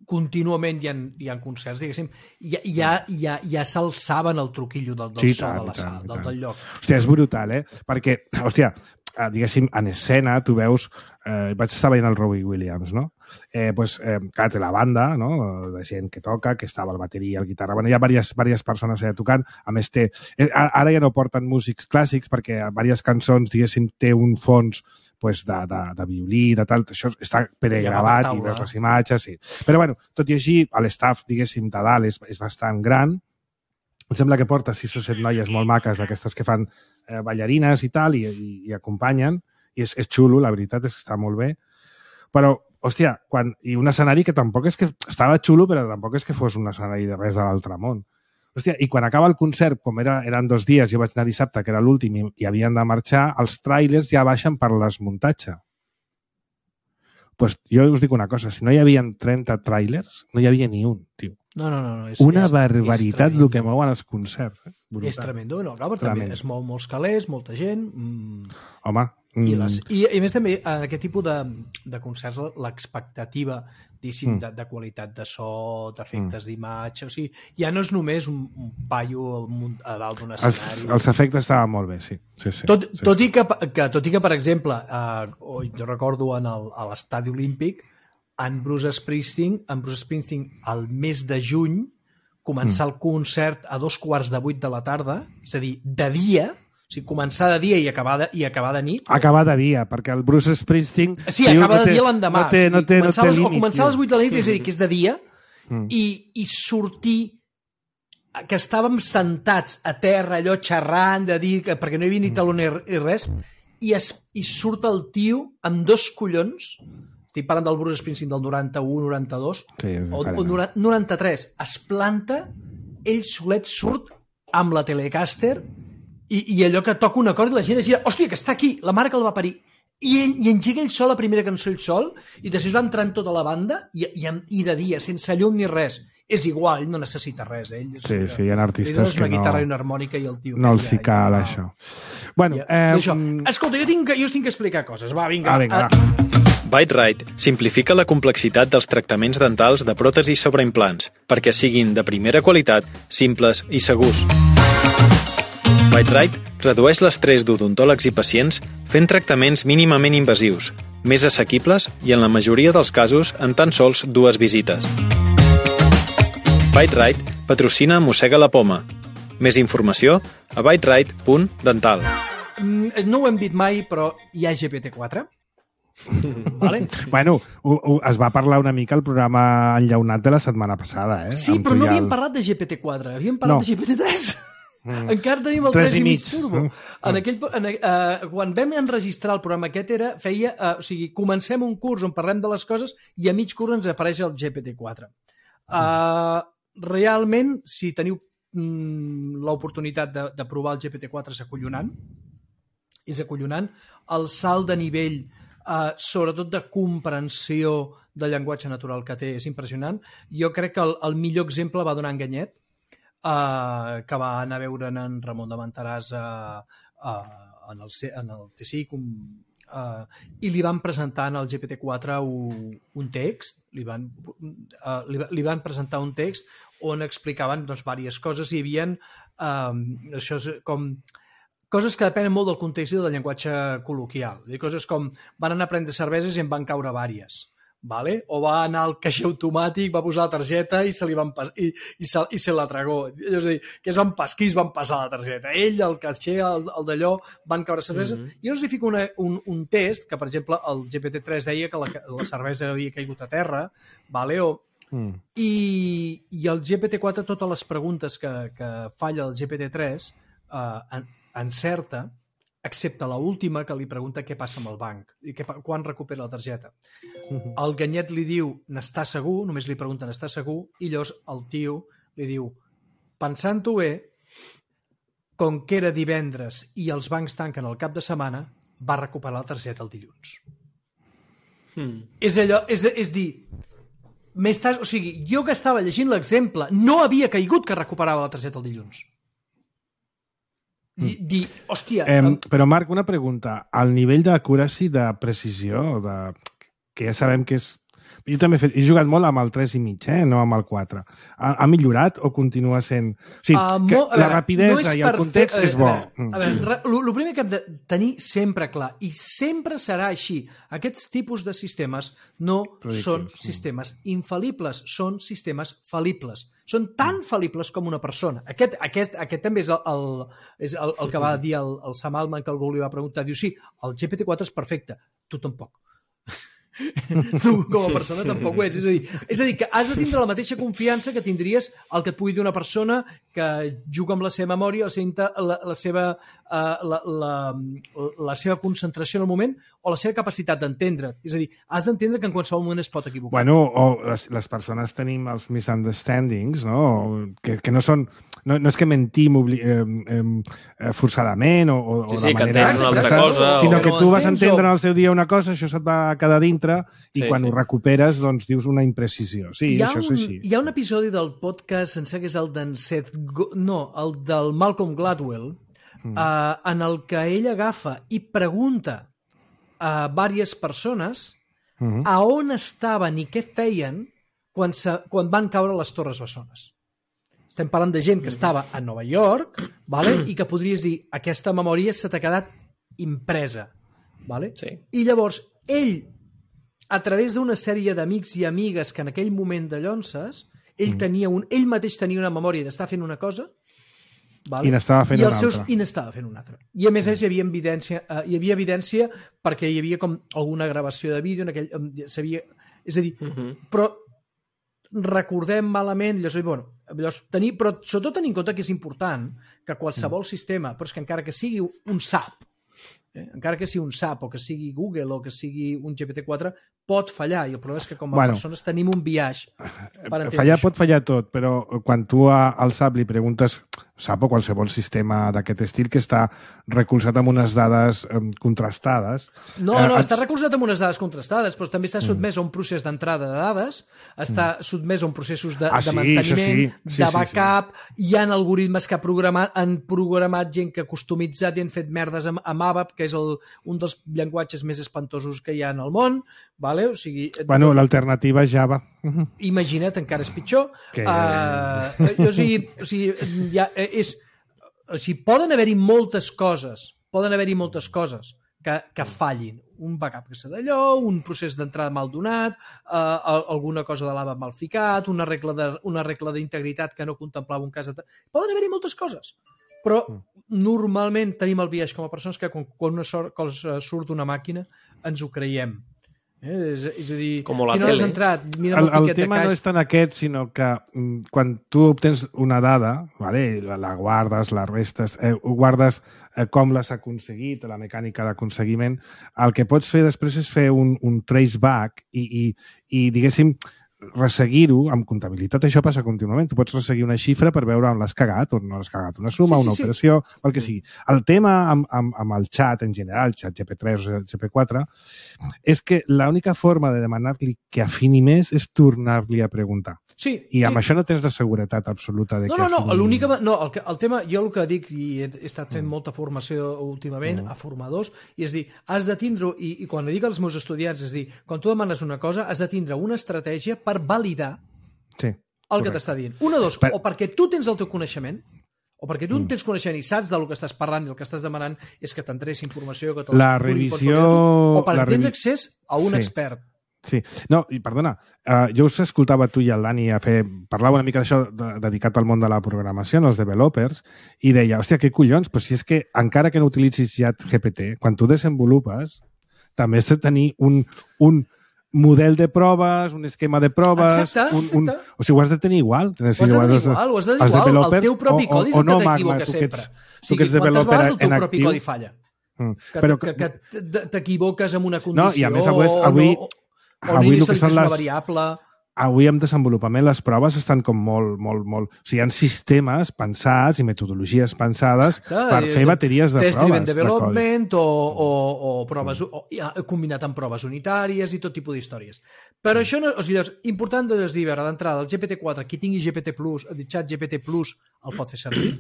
contínuament hi ha concerts, diguéssim, ja s'alçaven el truquillo del so de la sala, del lloc. Hòstia, és brutal, perquè, hòstia, diguéssim, en escena tu veus, vaig estar veient el Robbie Williams, no? Clar, té la banda, no?, de gent que toca, que estava el bateria, el guitarra, bueno, hi ha diverses persones allà tocant, a més ara ja no porten músics clàssics perquè a diverses cançons, diguéssim, té un fons de violí, de tal, això està pregravat i veus les imatges, sí. Però bueno, tot i així, l'estaf, diguéssim, de dalt és bastant gran. Em sembla que porta 6 o 7 noies molt maques, d'aquestes que fan ballarines i tal, i acompanyen, i és xulo, la veritat és que està molt bé. Però, hòstia, i un escenari que tampoc és que... Estava xulo, però tampoc és que fos un escenari de res de l'altre món. Hòstia, i quan acaba el concert, com eren 2 dies, jo vaig anar dissabte, que era l'últim, i havien de marxar, els tràilers ja baixen per l'esmuntatge. Doncs jo us dic una cosa, si no hi havia 30 tràilers, no hi havia ni un, tio. No. Una barbaritat el que mouen els concerts. És tremendo, no? Clar, també es mou molts calés, molta gent... Home... I a més també, en aquest tipus de concerts, l'expectativa, diguéssim, de qualitat de so, d'efectes d'imatge, o sigui, ja no és només un paio a dalt d'un escenari. Els efectes estaven molt bé, sí. Tot i que, per exemple, jo recordo a l'estadi olímpic, en Bruce Springsteen, al mes de juny, començar el concert a 7:15 de la tarda, és a dir, de dia. O sigui, començar de dia i acabar de nit. Acabar de dia, perquè el Bruce Springsteen... Sí, acaba de dia l'endemà. No té límit. O començar a les 8 de la nit, és a dir, que és de dia, i sortir, que estàvem sentats a terra, allò xerrant, de dir, perquè no hi havia ni taló ni res, i surt el tio amb 2 collons, estic parlant del Bruce Springsteen del 91, 92, o 93, es planta, ell solet surt amb la Telecaster, i allò que toca un acord i la gent es gira, hòstia, que està aquí, la mare que el va parir. I engega ell sol, la primera cançó ell sol, i després va entrant tota la banda, i de dia, sense llum ni res. És igual, ell no necessita res. Sí, hi ha artistes que no... una guitarra i una harmònica i el tio... No els hi cal, això. Bueno, Escolta, jo us tinc que explicar coses. Va, vinga. Bite-Rite simplifica la complexitat dels tractaments dentals de pròtesis sobre implants perquè siguin de primera qualitat, simples i segurs. Bite-Rite redueix l'estrès d'odontòlegs i pacients fent tractaments mínimament invasius, més assequibles i en la majoria dels casos en tan sols 2 visites. Bite-Rite patrocina Mossega la Poma. Més informació a biterite.dental. No ho hem dit mai, però hi ha GPT-4. Vale? Bueno, es va parlar una mica al programa enllaunat de la setmana passada, eh? Sí, però no havíem parlat de GPT-4, havíem parlat de GPT-3. Encara tenim el 3,5 turbo. Quan vam enregistrar el programa aquest comencem un curs on parlem de les coses i a mig curs ens apareix el GPT-4. Realment, si teniu l'oportunitat de provar el GPT-4 és acollonant. El salt de nivell, sobretot de comprensió del llenguatge natural que té, és impressionant. Jo crec que el millor exemple va donar Enganyet, que va anar a veure en Ramon de Menteràs en el CSIC i li van presentar al GPT-4 un text, li van presentar un text on explicaven diverses coses i hi havia això és com coses que depenen molt del context i del llenguatge col·loquial. Coses com van anar a prendre cerveses i en van caure vàries. Vale? O va anar al caixer automàtic, va posar la targeta i se la tragó. És a dir, que es van passar la targeta. Ell, el caixer, el d'allò, van caure cervesa. Jo us hi fico un test, que per exemple el GPT-3 deia que la cervesa havia caigut a terra, vale? I el GPT-4, totes les preguntes que falla el GPT-3 encerta, excepte l'última que li pregunta què passa amb el banc i quan recupera la targeta. El Ganyet li diu n'està segur, només li pregunta n'està segur, i llavors el tio li diu pensant-ho bé, com que era divendres i els bancs tanquen el cap de setmana, va recuperar la targeta el dilluns. És dir, jo que estava llegint l'exemple no havia caigut que recuperava la targeta el dilluns. Hòstia... Però, Marc, una pregunta. El nivell d'accuracy, de precisió, que ja sabem que és... Jo també he jugat molt amb el 3,5, no amb el 4. Ha millorat o continua sent... O sigui, la rapidesa i el context és bo. A veure, el primer que hem de tenir sempre clar, i sempre serà així, aquests tipus de sistemes no són sistemes infal·libles, són sistemes fal·libles. Són tan fal·libles com una persona. Aquest també és el que va dir el Sam Altman, que algú li va preguntar. Diu, sí, el GPT-4 és perfecte. Tu tampoc. Tu com a persona tampoc ho és. És a dir, que has de tindre la mateixa confiança que tindries el que et pugui dir una persona que juga amb la seva memòria, la seva concentració en el moment o la seva capacitat d'entendre. És a dir, has d'entendre que en qualsevol moment es pot equivocar. Bueno, o les persones tenim els misunderstandings, no? Que no són... No és que mentim forçadament o de manera expressa, sinó que tu vas entendre en el seu dia una cosa, això se't va quedar dintre i quan ho recuperes doncs dius una imprecisió. Sí, això és així. Hi ha un episodi del podcast, em sembla que és el d'en el del Malcolm Gladwell, en el que ell agafa i pregunta a diverses persones a on estaven i què feien quan van caure les Torres Bessones. Estem parlant de gent que estava a Nova York, i que podries dir aquesta memòria se t'ha quedat impresa. I llavors ell, a través d'una sèrie d'amics i amigues que en aquell moment de llonces, ell mateix tenia una memòria d'estar fent una cosa i n'estava fent una altra. I n'estava fent una altra. I a més hi havia evidència perquè hi havia com alguna gravació de vídeo, és a dir, però recordem malament, però sobretot tenir en compte que és important que qualsevol sistema, però és que encara que sigui un SAP, encara que sigui un SAP o que sigui Google o que sigui un GPT-4, pot fallar, i el problema és que com a persones tenim un biaix per entendre fallar això. Pot fallar tot, però quan tu al SAP li preguntes SAP o qualsevol sistema d'aquest estil que està recolzat amb unes dades contrastades. No, està recolzat amb unes dades contrastades, però també està sotmès a un procés d'entrada de dades, està sotmès a un processos de manteniment, de backup, hi ha algoritmes que han programat gent que ha customitzat i han fet merdes amb ABAP, que és un dels llenguatges més espantosos que hi ha en el mon, vale? O sigui... Bueno, l'alternativa és Java. Imagina't, encara és pitjor. Poden haver-hi moltes coses que fallin. Un backup que s'ha d'allò, un procés d'entrada mal donat, alguna cosa de l'ABAP mal ficat, una regla d'integritat que no contemplava un cas... Poden haver-hi moltes coses, però normalment tenim el biaix com a persones que quan una cosa surt d'una màquina ens ho creiem. És a dir, com la quina hora has tele. entrat? Mira El tema no és tant aquest, sinó que quan tu obtens una dada, vale, la guardes, la restes, guardes com l'has aconseguit, la mecànica d'aconseguiment, el que pots fer després és fer un traceback i diguéssim, resseguir-ho amb comptabilitat. Això passa contínuament. Tu pots resseguir una xifra per veure on l'has cagat, on no l'has cagat, una suma, una operació, el que sigui. El tema amb el xat en general, xat GP3 o GP4, és que l'única forma de demanar-li que afini més és tornar-li a preguntar. Sí, I amb això no tens de seguretat absoluta de que afini... El tema, jo el que dic, i he estat fent molta formació últimament a formadors, i és dir, has de tindre, i quan li dic als meus estudiants, és dir, quan tu demanes una cosa, has de tindre una estratègia per validar el que t'està dient. Una, dos, o perquè tu tens el teu coneixement, o perquè tu tens coneixement i saps del que estàs parlant i el que estàs demanant és que t'entrés informació, que la revisió... o perquè tens accés a un expert. Sí. No, i perdona, jo us escoltava tu i el Dani parlava una mica d'això dedicat al món de la programació, als developers, i deia, hòstia, què collons? Però si és que encara que no utilitzis ChatGPT, quan tu desenvolupes, també has de tenir un model de proves, un esquema de proves... Exacte. O sigui, ho has de tenir igual. Ho has de tenir igual. El teu propi codi és el que t'equivoca sempre. Tu que ets developer el teu propi codi falla. Que t'equivoques amb una condició... No, i a més avui o no inicialitzes una variable... Avui amb desenvolupament les proves estan com molt... O sigui, hi ha sistemes pensats i metodologies pensades per fer bateries de proves. Test-driven development o proves, combinat amb proves unitàries i tot tipus d'històries. Però això no... O sigui, important és dir, d'entrada, el GPT-4, qui tingui GPT+, el xat GPT+, el pot fer servir.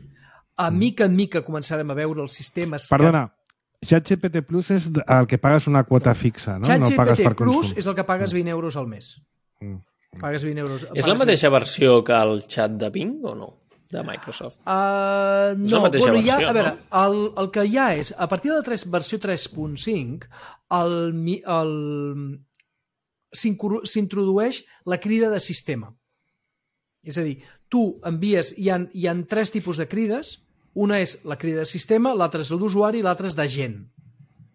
A mica en mica començarem a veure els sistemes... Perdona, ChatGPT Plus és el que pagues una quota fixa, no? ChatGPT Plus és el que pagues 20 euros al mes. Pagues 20 euros. És la mateixa versió que el xat de Bing o no? De Microsoft. No, bueno, versió, a veure, el que hi ha és, a partir de la versió 3.5, s'introdueix la crida de sistema. És a dir, tu envies, hi ha 3 tipus de crides. Una és la crida de sistema, l'altra és l'usuari i l'altra és d'agent.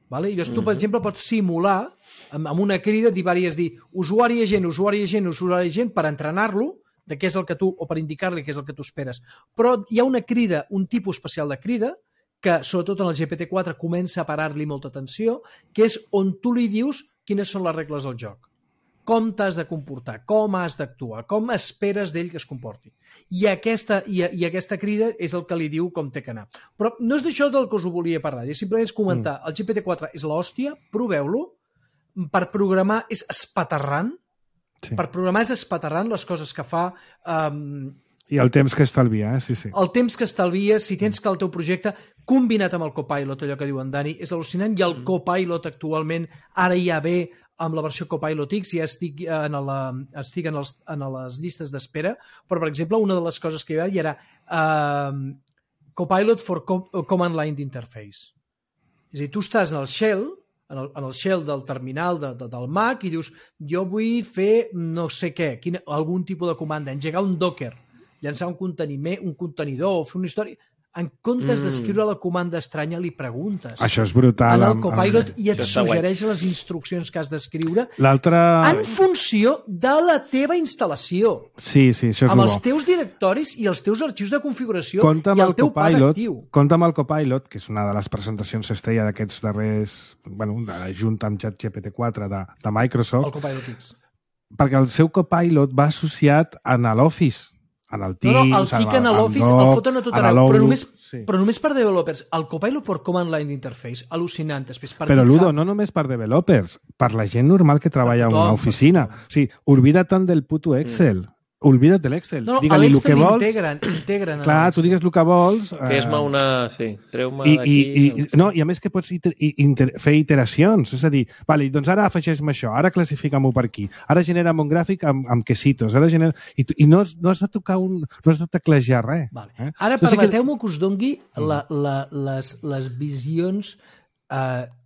Vale? I llavors tu, per exemple, pots simular amb una crida, dir usuari agent, usuari agent, usuari agent per entrenar-lo de què és el que tu, o per indicar-li què és el que tu esperes. Però hi ha una crida, un tipus especial de crida, que sobretot en el GPT-4 comença a parar-li molta atenció, que és on tu li dius quines són les regles del joc. Com t'has de comportar, com has d'actuar, com esperes d'ell que es comporti. I aquesta crida és el que li diu com té que anar. Però no és d'això del que us ho volia parlar, simplement és comentar, el GPT-4 és l'hòstia, proveu-lo, per programar és espaterrant, per programar és espaterrant les coses que fa... I el temps que estalvia, sí. El temps que estalvia, si tens que el teu projecte, combinat amb el Copilot, allò que diu en Dani, és al·lucinant, i el Copilot actualment ara ja ve amb la versió Copilot X, ja estic en les llistes d'espera, però, per exemple, una de les coses que hi era Copilot for Command Line Interface. És a dir, tu estàs en el shell, en el shell del terminal del Mac i dius, jo vull fer no sé què, algun tipus de comanda, engegar un Docker, llançar un contenidor, fer una història... En comptes d'escriure la comanda estranya, li preguntes. Això és brutal. En el Copilot i et suggereix les instruccions que has d'escriure en funció de la teva instal·lació. Sí, això és amb els teus directoris i els teus arxius de configuració i el teu pad actiu. Compte amb el Copilot, que és una de les presentacions estrella d'aquests darrers... junt amb ChatGPT-4 de Microsoft. El Copilot X. Perquè el seu Copilot va associat a l'Office. En el Teams, el fiquen a l'Office, el foten a tot arreu, però només per developers. El Copilot per Command Line Interface, al·lucinant. Però, Ludo, no només per developers, per la gent normal que treballa en una oficina. O sigui, olvida-te'n del puto Excel. Olvida't de l'Excel. No, digue-li el que vols. Integren. Clar, tu digues el que vols. Fes-me una... Sí, treu-me d'aquí... No, i a més que pots fer iteracions. És a dir, vale, doncs ara afegeix-me això, ara classifica-m'ho per aquí, ara genera'm un gràfic amb quesitos, i no has de tocar no has de teclejar res. Vale. Ara permeteu-me que us dongui les visions...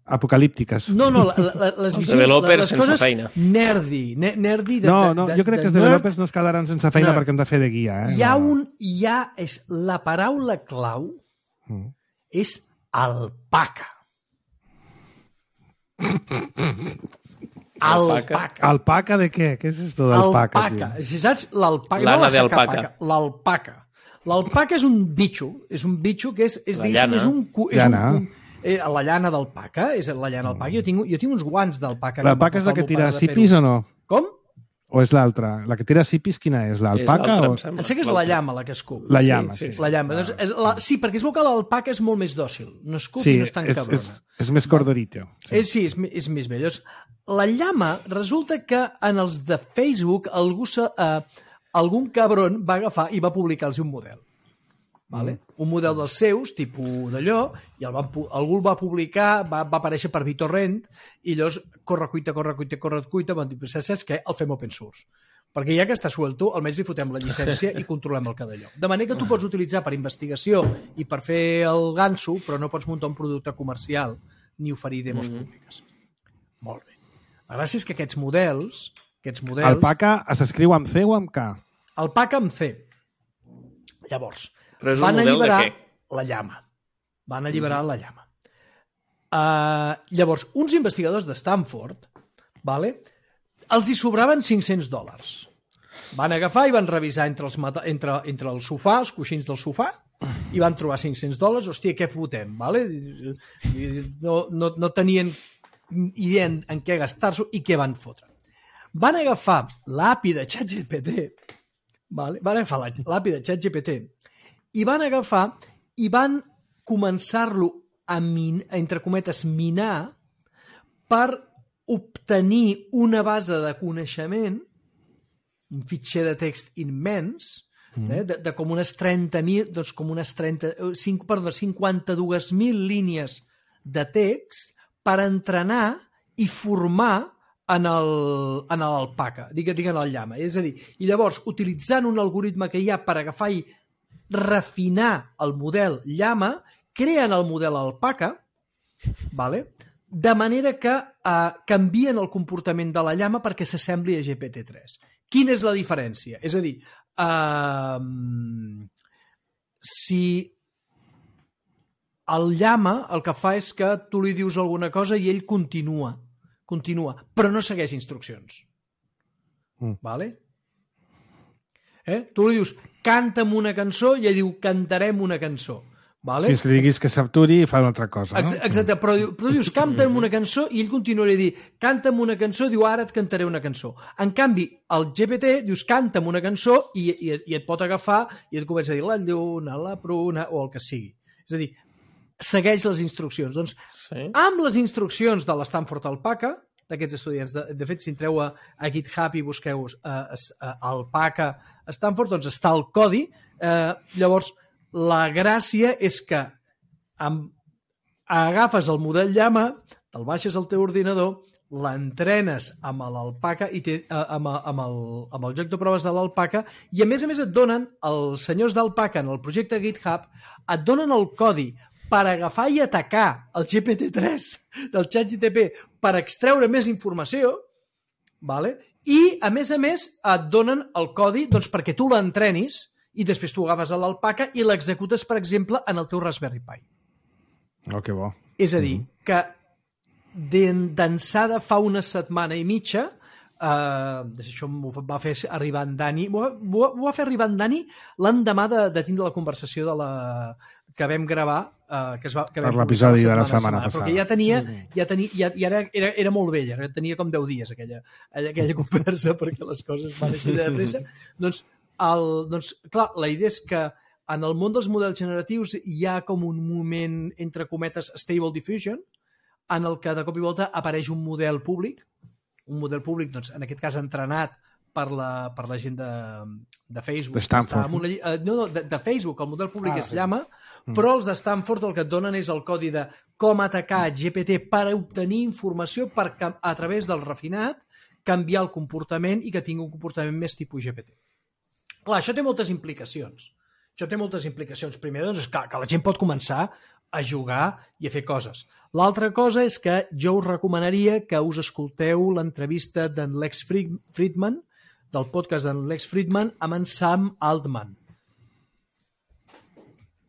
apocalíptiques. No, les visions... developers sense feina. Nerdy No, jo crec que els developers no es quedaran sense feina perquè hem de fer de guia. La paraula clau és alpaca. Alpaca de què? Què és esto d'alpaca? Alpaca. Si saps l'alpaca... Lana d'alpaca. L'alpaca. L'alpaca és un bitxo que és la llana. La llana d'alpaca, és la llana d'alpaca. Jo tinc uns guants d'alpaca. L'alpaca és la que tira cipis o no? Com? O és l'altra? La que tira cipis, quina és? L'alpaca? Em sé que és la llama la que escup. La llama, sí. La llama. Sí, perquè es veu que l'alpaca és molt més dòcil. No escup i no és tan cabrona. És més cordorito. Sí, és més vell. La llama, resulta que en els de Facebook algun cabron va agafar i va publicar-los un model. Vale? Un model dels seus, tipus d'allò, i algú el va publicar, va aparèixer per BitTorrent, i llavors corre cuita, van dir, saps què? El fem open source. Perquè ja que està suelto, almenys li fotem la llicència i controlem el cada lloc. De manera que tu pots utilitzar per investigació i per fer el ganso, però no pots muntar un producte comercial ni oferir demos públiques. Molt bé. La gràcia és que aquests models... Alpaca s'escriu amb C o amb K? Alpaca amb C. Llavors... Però és un model de què? La llama. Van alliberar la llama. Llavors, uns investigadors de Stanford, els hi sobraven $500. Van agafar i van revisar entre el sofà, els coixins del sofà, i van trobar $500. Hòstia, què fotem? No tenien idea en què gastar-s'ho i què van fotre. Van agafar l'API de ChatGPT, i van agafar i van començar-lo a entre cometes, minar per obtenir una base de coneixement, un fitxer de text immens, de com unes 30.000, doncs com unes 52.000 línies de text per entrenar i formar en l'alpaca, diguem el llama. És a dir, i llavors, utilitzant un algoritme que hi ha per agafar i refinar el model llama, creen el model alpaca, de manera que canvien el comportament de la llama perquè s'assembli a GPT-3. Quina és la diferència? És a dir, si el llama el que fa és que tu li dius alguna cosa i ell continua, però no segueix instruccions. Vale? Tu li dius, canta'm una cançó, i ell diu, cantarem una cançó. Fins que diguis que s'aturi i fa una altra cosa. Exacte, però dius, canta'm una cançó, i ell continuarà a dir, canta'm una cançó, diu, ara et cantaré una cançó. En canvi, el GPT dius, canta'm una cançó, i et pot agafar i et comença a dir la lluna, la pruna, o el que sigui. És a dir, segueix les instruccions. Doncs, amb les instruccions de l'Stanford Alpaca, d'aquests estudiants. De fet, si entreu a GitHub i busqueu Alpaca Stanford, doncs està el codi. Llavors, la gràcia és que agafes el model llama, te'l baixes al teu ordinador, l'entrenes amb l'alpaca i amb el joc de proves de l'alpaca, i a més et donen, els senyors d'alpaca en el projecte GitHub, et donen el codi per agafar i atacar el GPT-3 del ChatGPT per extreure més informació, i, a més, et donen el codi perquè tu l'entrenis i després tu agafes a l'alpaca i l'executes, per exemple, en el teu Raspberry Pi. Oh, que bo. És a dir, que d'ençada fa una setmana i mitja, això m'ho va fer arribar en Dani, m'ho va fer arribar en Dani l'endemà de tindre la conversació que vam gravar per l'episodi de la setmana passada. Perquè ja era molt vella, tenia com 10 dies aquella conversa, perquè les coses van així de pressa. Doncs doncs, clar, la idea és que en el món dels models generatius hi ha com un moment, entre cometes, stable diffusion, en el que de cop i volta apareix un model públic, doncs, en aquest cas entrenat per la gent de Facebook. De Stanford. De Facebook, el model públic és Llama, però els de Stanford el que et donen és el codi de com atacar GPT per obtenir informació per, a través del refinat, canviar el comportament i que tingui un comportament més tipus GPT. Clar, això té moltes implicacions. Primer, doncs, que la gent pot començar a jugar i a fer coses. L'altra cosa és que jo us recomanaria que us escolteu l'entrevista d'en Lex Fridman, del podcast d'en Lex Fridman amb en Sam Altman.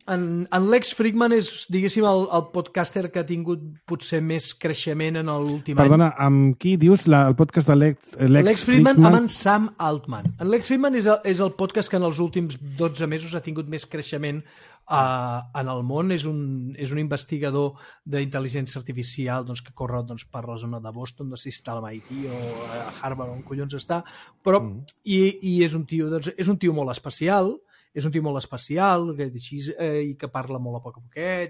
En Lex Fridman és, diguéssim, el podcaster que ha tingut potser més creixement en l'últim any. Perdona, amb qui dius el podcast de Lex Fridman? Amb en Sam Altman. En Lex Fridman és el podcast que en els últims 12 mesos ha tingut més creixement en el món. És un investigador d'intel·ligència artificial doncs, que corre per la zona de Boston, no sé si està a MIT o a Harvard, on collons està, però i és un tio molt especial, i que parla molt a poc a poquet,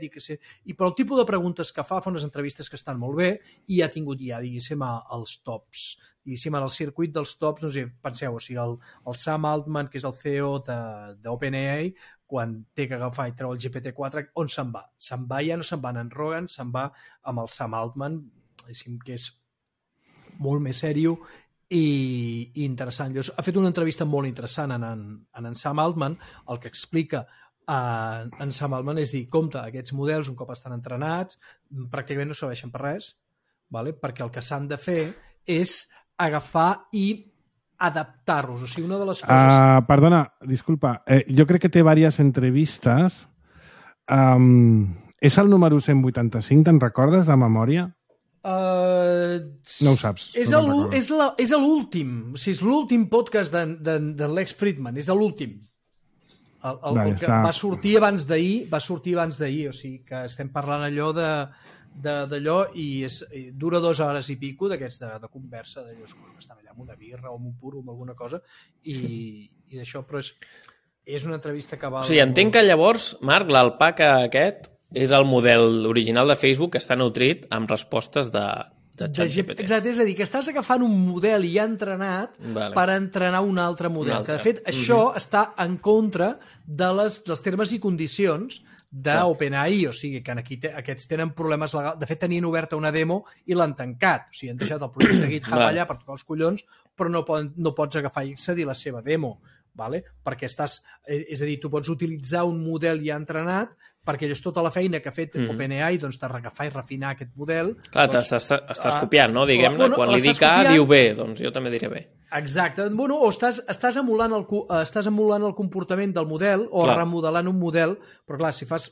però el tipus de preguntes que fa unes entrevistes que estan molt bé i ha tingut ja, diguéssim, els tops, diguéssim, en el circuit dels tops, no sé, penseu, o sigui, el Sam Altman, que és el CEO d'OpenAI, quan té que agafar i treu el GPT-4, on se'n va? Ja no se'n va en Rogan, se'n va amb el Sam Altman, diguéssim, que és molt més sèrio i interessant. Ha fet una entrevista molt interessant en Sam Altman. El que explica en Sam Altman és dir, compte, aquests models un cop estan entrenats pràcticament no serveixen per res, perquè el que s'han de fer és agafar i adaptar-los. O sigui, una de les coses... Perdona, disculpa, jo crec que té diverses entrevistes. És el número 185, te'n recordes, de memòria? No ho saps. És l'últim. O sigui, és l'últim podcast de Lex Fridman. És l'últim. El que va sortir abans d'ahir. O sigui, que estem parlant allò d'allò i dura 2 hores i pico d'aquests de conversa, d'allò que estan allà amb una birra o amb un puro o amb alguna cosa i d'això, però és una entrevista que val... O sigui, entenc que llavors, Marc, l'alpaca aquest és el model original de Facebook que està nutrit amb respostes de ChatGPT. Exacte, és a dir, que estàs agafant un model ja entrenat per entrenar un altre model. Que, de fet, això està en contra dels termes i condicions d'OpenAI, o sigui, que aquí aquests tenen problemes legals. De fet, tenien oberta una demo i l'han tancat. O sigui, han deixat el projecte GitHub allà per tocar els collons, però no pots agafar i accedir a la seva demo. Perquè és a dir, tu pots utilitzar un model ja entrenat perquè és tota la feina que ha fet OpenAI de regafar i refinar aquest model. Clar, estàs copiant, no? Diguem-ne, quan li dic A, diu B, doncs jo també diré B. Exacte. Bueno, o estàs emulant el comportament del model o remodelant un model, però clar, si fas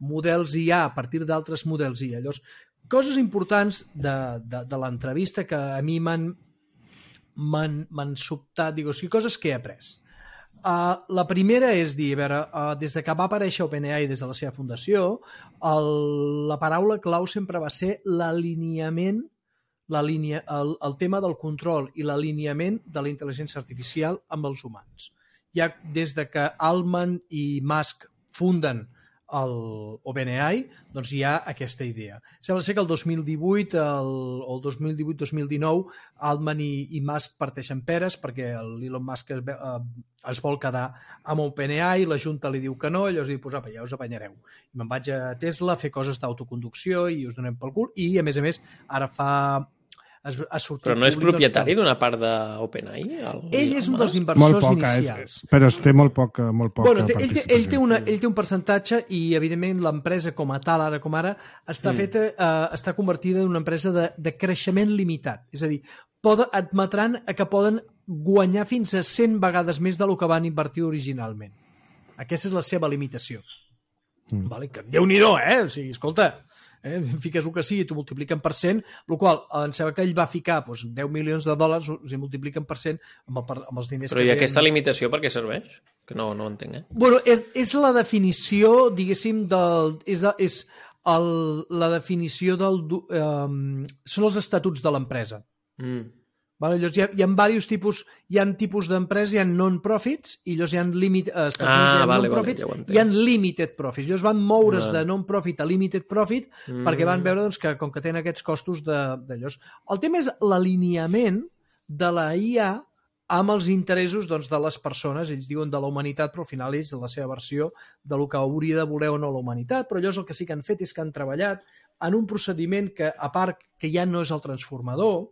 models IA a partir d'altres models IA, llavors, coses importants de l'entrevista que a mi m'han sobtat, o sigui, coses que he après. La primera és dir, a veure, des que va aparèixer OpenAI des de la seva fundació, la paraula clau sempre va ser l'alineament, el tema del control i l'alineament de la intel·ligència artificial amb els humans. Ja des de que Altman i Musk funden OpenAI, doncs hi ha aquesta idea. Sembla ser que el 2018 o el 2018-2019 Altman i Musk parteixen peres perquè l'Elon Musk es vol quedar amb OpenAI, la Junta li diu que no, llavors diu, pues apa, ja us apanyareu. I me'n vaig a Tesla a fer coses d'autoconducció i us donem pel cul. I, a més, ara ha sortit... Però no és propietari d'una part d'OpenAI? Ell és un dels inversors inicials. Però té molt poc bueno, ell té un percentatge i, evidentment, l'empresa com a tal, ara com ara, està convertida en una empresa de creixement limitat. És a dir, admetran que poden guanyar fins a 100 vegades més del que van invertir originalment. Aquesta és la seva limitació. Que Déu-n'hi-do, O sigui, escolta... fiques el que sigui, t'ho multipliquen per 100, el qual em sembla que ell va ficar $10 milions, o sigui, multipliquen per 100 amb els diners. Però i aquesta limitació per què serveix? Que no entenc, Bueno, és la definició, diguéssim, la definició són els estatuts de l'empresa. Vale? Llavors, hi ha diversos tipus, hi ha tipus d'empreses, hi ha non-profits i llavors hi ha non-profits, hi ha limited profits. Llavors van moure's de non-profit a limited profit perquè van veure doncs, que com que tenen aquests costos d'allò. El tema és l'alineament de la IA amb els interessos doncs, de les persones, ells diuen de la humanitat, però al final ells de la seva versió de lo que hauria de voler o no la humanitat, però llavors el que sí que han fet és que han treballat en un procediment que, a part que ja no és el transformador,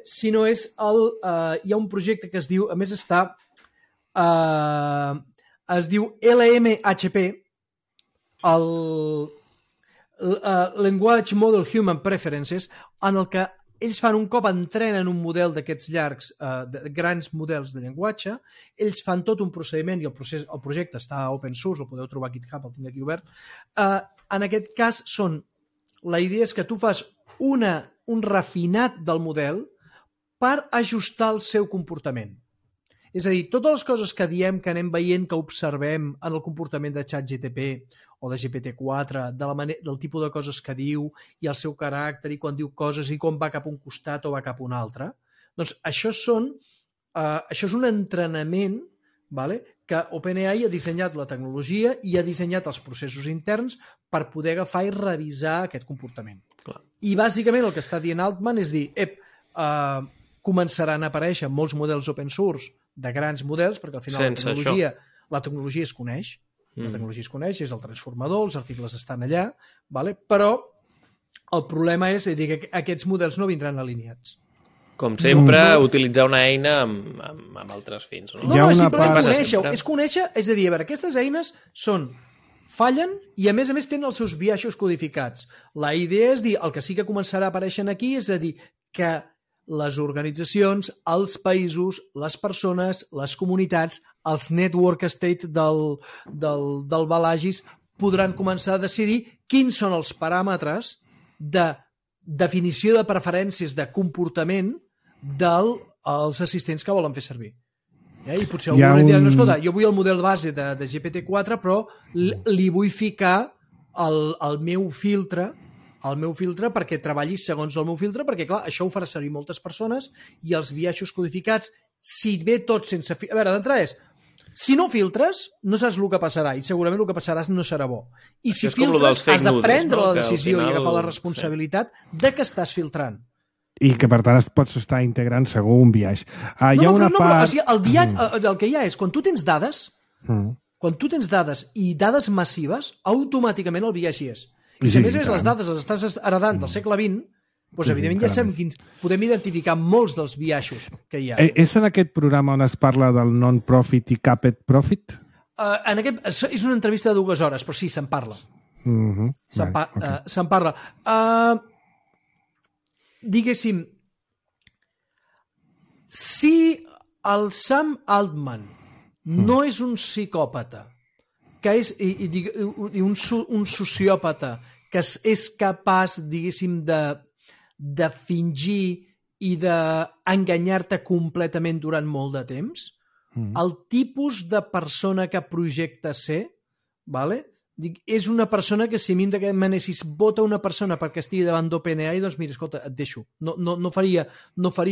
sinó és hi ha un projecte que es diu, a més està es diu LMHP, el Language Model Human Preferences, en el que ells fan un cop entrenen un model d'aquests llargs, de grans models de llenguatge, ells fan tot un procediment i el projecte està open source, el podeu trobar a GitHub, el tinc aquí obert. En aquest cas la idea és que tu fas un refinat del model per ajustar el seu comportament. És a dir, totes les coses que diem, que anem veient, que observem en el comportament de ChatGPT o de GPT-4, del tipus de coses que diu i el seu caràcter i quan diu coses i quan va cap a un costat o va cap a un altre, doncs això és un entrenament, vale, que OpenAI ha dissenyat la tecnologia i ha dissenyat els processos interns per poder agafar i revisar aquest comportament. Clar. I bàsicament el que està dient Altman és dir, començaran a aparèixer molts models open source de grans models, perquè al final la tecnologia es coneix, la tecnologia es coneix, és el transformador, els articles estan allà, vale? Però el problema és que aquests models no vindran alineats. Com sempre, utilitzar una eina amb altres fins. No, és simplement conèixer, és a dir, a veure, aquestes eines fallen i a més tenen els seus biaixos codificats. La idea és dir, el que sí que començarà a aparèixer aquí és a dir que les organitzacions, els països, les persones, les comunitats, els network state del Balagis podran començar a decidir quins són els paràmetres de definició de preferències de comportament dels assistents que volen fer servir. I potser algú dirà, no, escolta, jo vull el model base de GPT-4, però li vull ficar el meu filtre perquè treballi segons el meu filtre, perquè clar, això ho farà servir moltes persones i els biaixos codificats, si ve tot sense... A veure, d'entrada és, si no filtres, no saps el que passarà i segurament el que passarà no serà bo. I si filtres, has de prendre la decisió i agafar la responsabilitat de que estàs filtrant. I que, per tant, pots estar integrant segur un biaix. El biaix, el que hi ha és, quan tu tens dades, i dades massives, automàticament el biaix hi és. I si a més les dades les estàs heredant del segle XX, doncs evidentment ja sabem podem identificar molts dels biaixos que hi ha. És en aquest programa on es parla del non-profit i capped profit? És una entrevista de 2 hores, però sí, se'n parla. Se'n parla. Diguéssim, si el Sam Altman no és un psicòpata, que és un sociòpata que és capaç, diguéssim, de fingir i d'enganyar-te completament durant molt de temps, el tipus de persona que projecta ser, és una persona que si a mi d'aquest manera, si es vota una persona perquè estigui davant d'OpenAI, doncs mira, escolta, et deixo. No faria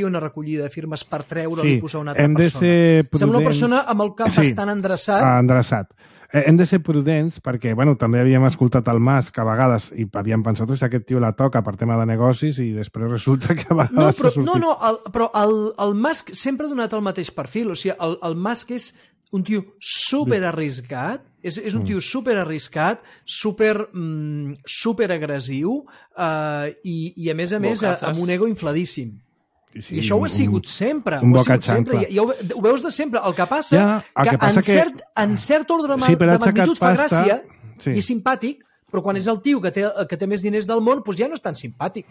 una recollida de firmes per treure-li i posar una altra persona. Sembla una persona amb el cap bastant endreçat. Hem de ser prudents perquè, també havíem escoltat el Musk a vegades i havíem pensat que aquest tio la toca per tema de negocis i després resulta que a vegades s'ha sortit. Però el Musk sempre ha donat el mateix perfil. O sigui, el Musk és un tio super arriscat, és un tio super arriscat, super agressiu i a més amb un ego infladíssim. I això ho ha sigut sempre. Un boca xancla. I ho veus de sempre. El que passa que en cert ordre de magnitud fa gràcia i és simpàtic, però quan és el tio que té més diners del món, doncs ja no és tan simpàtic.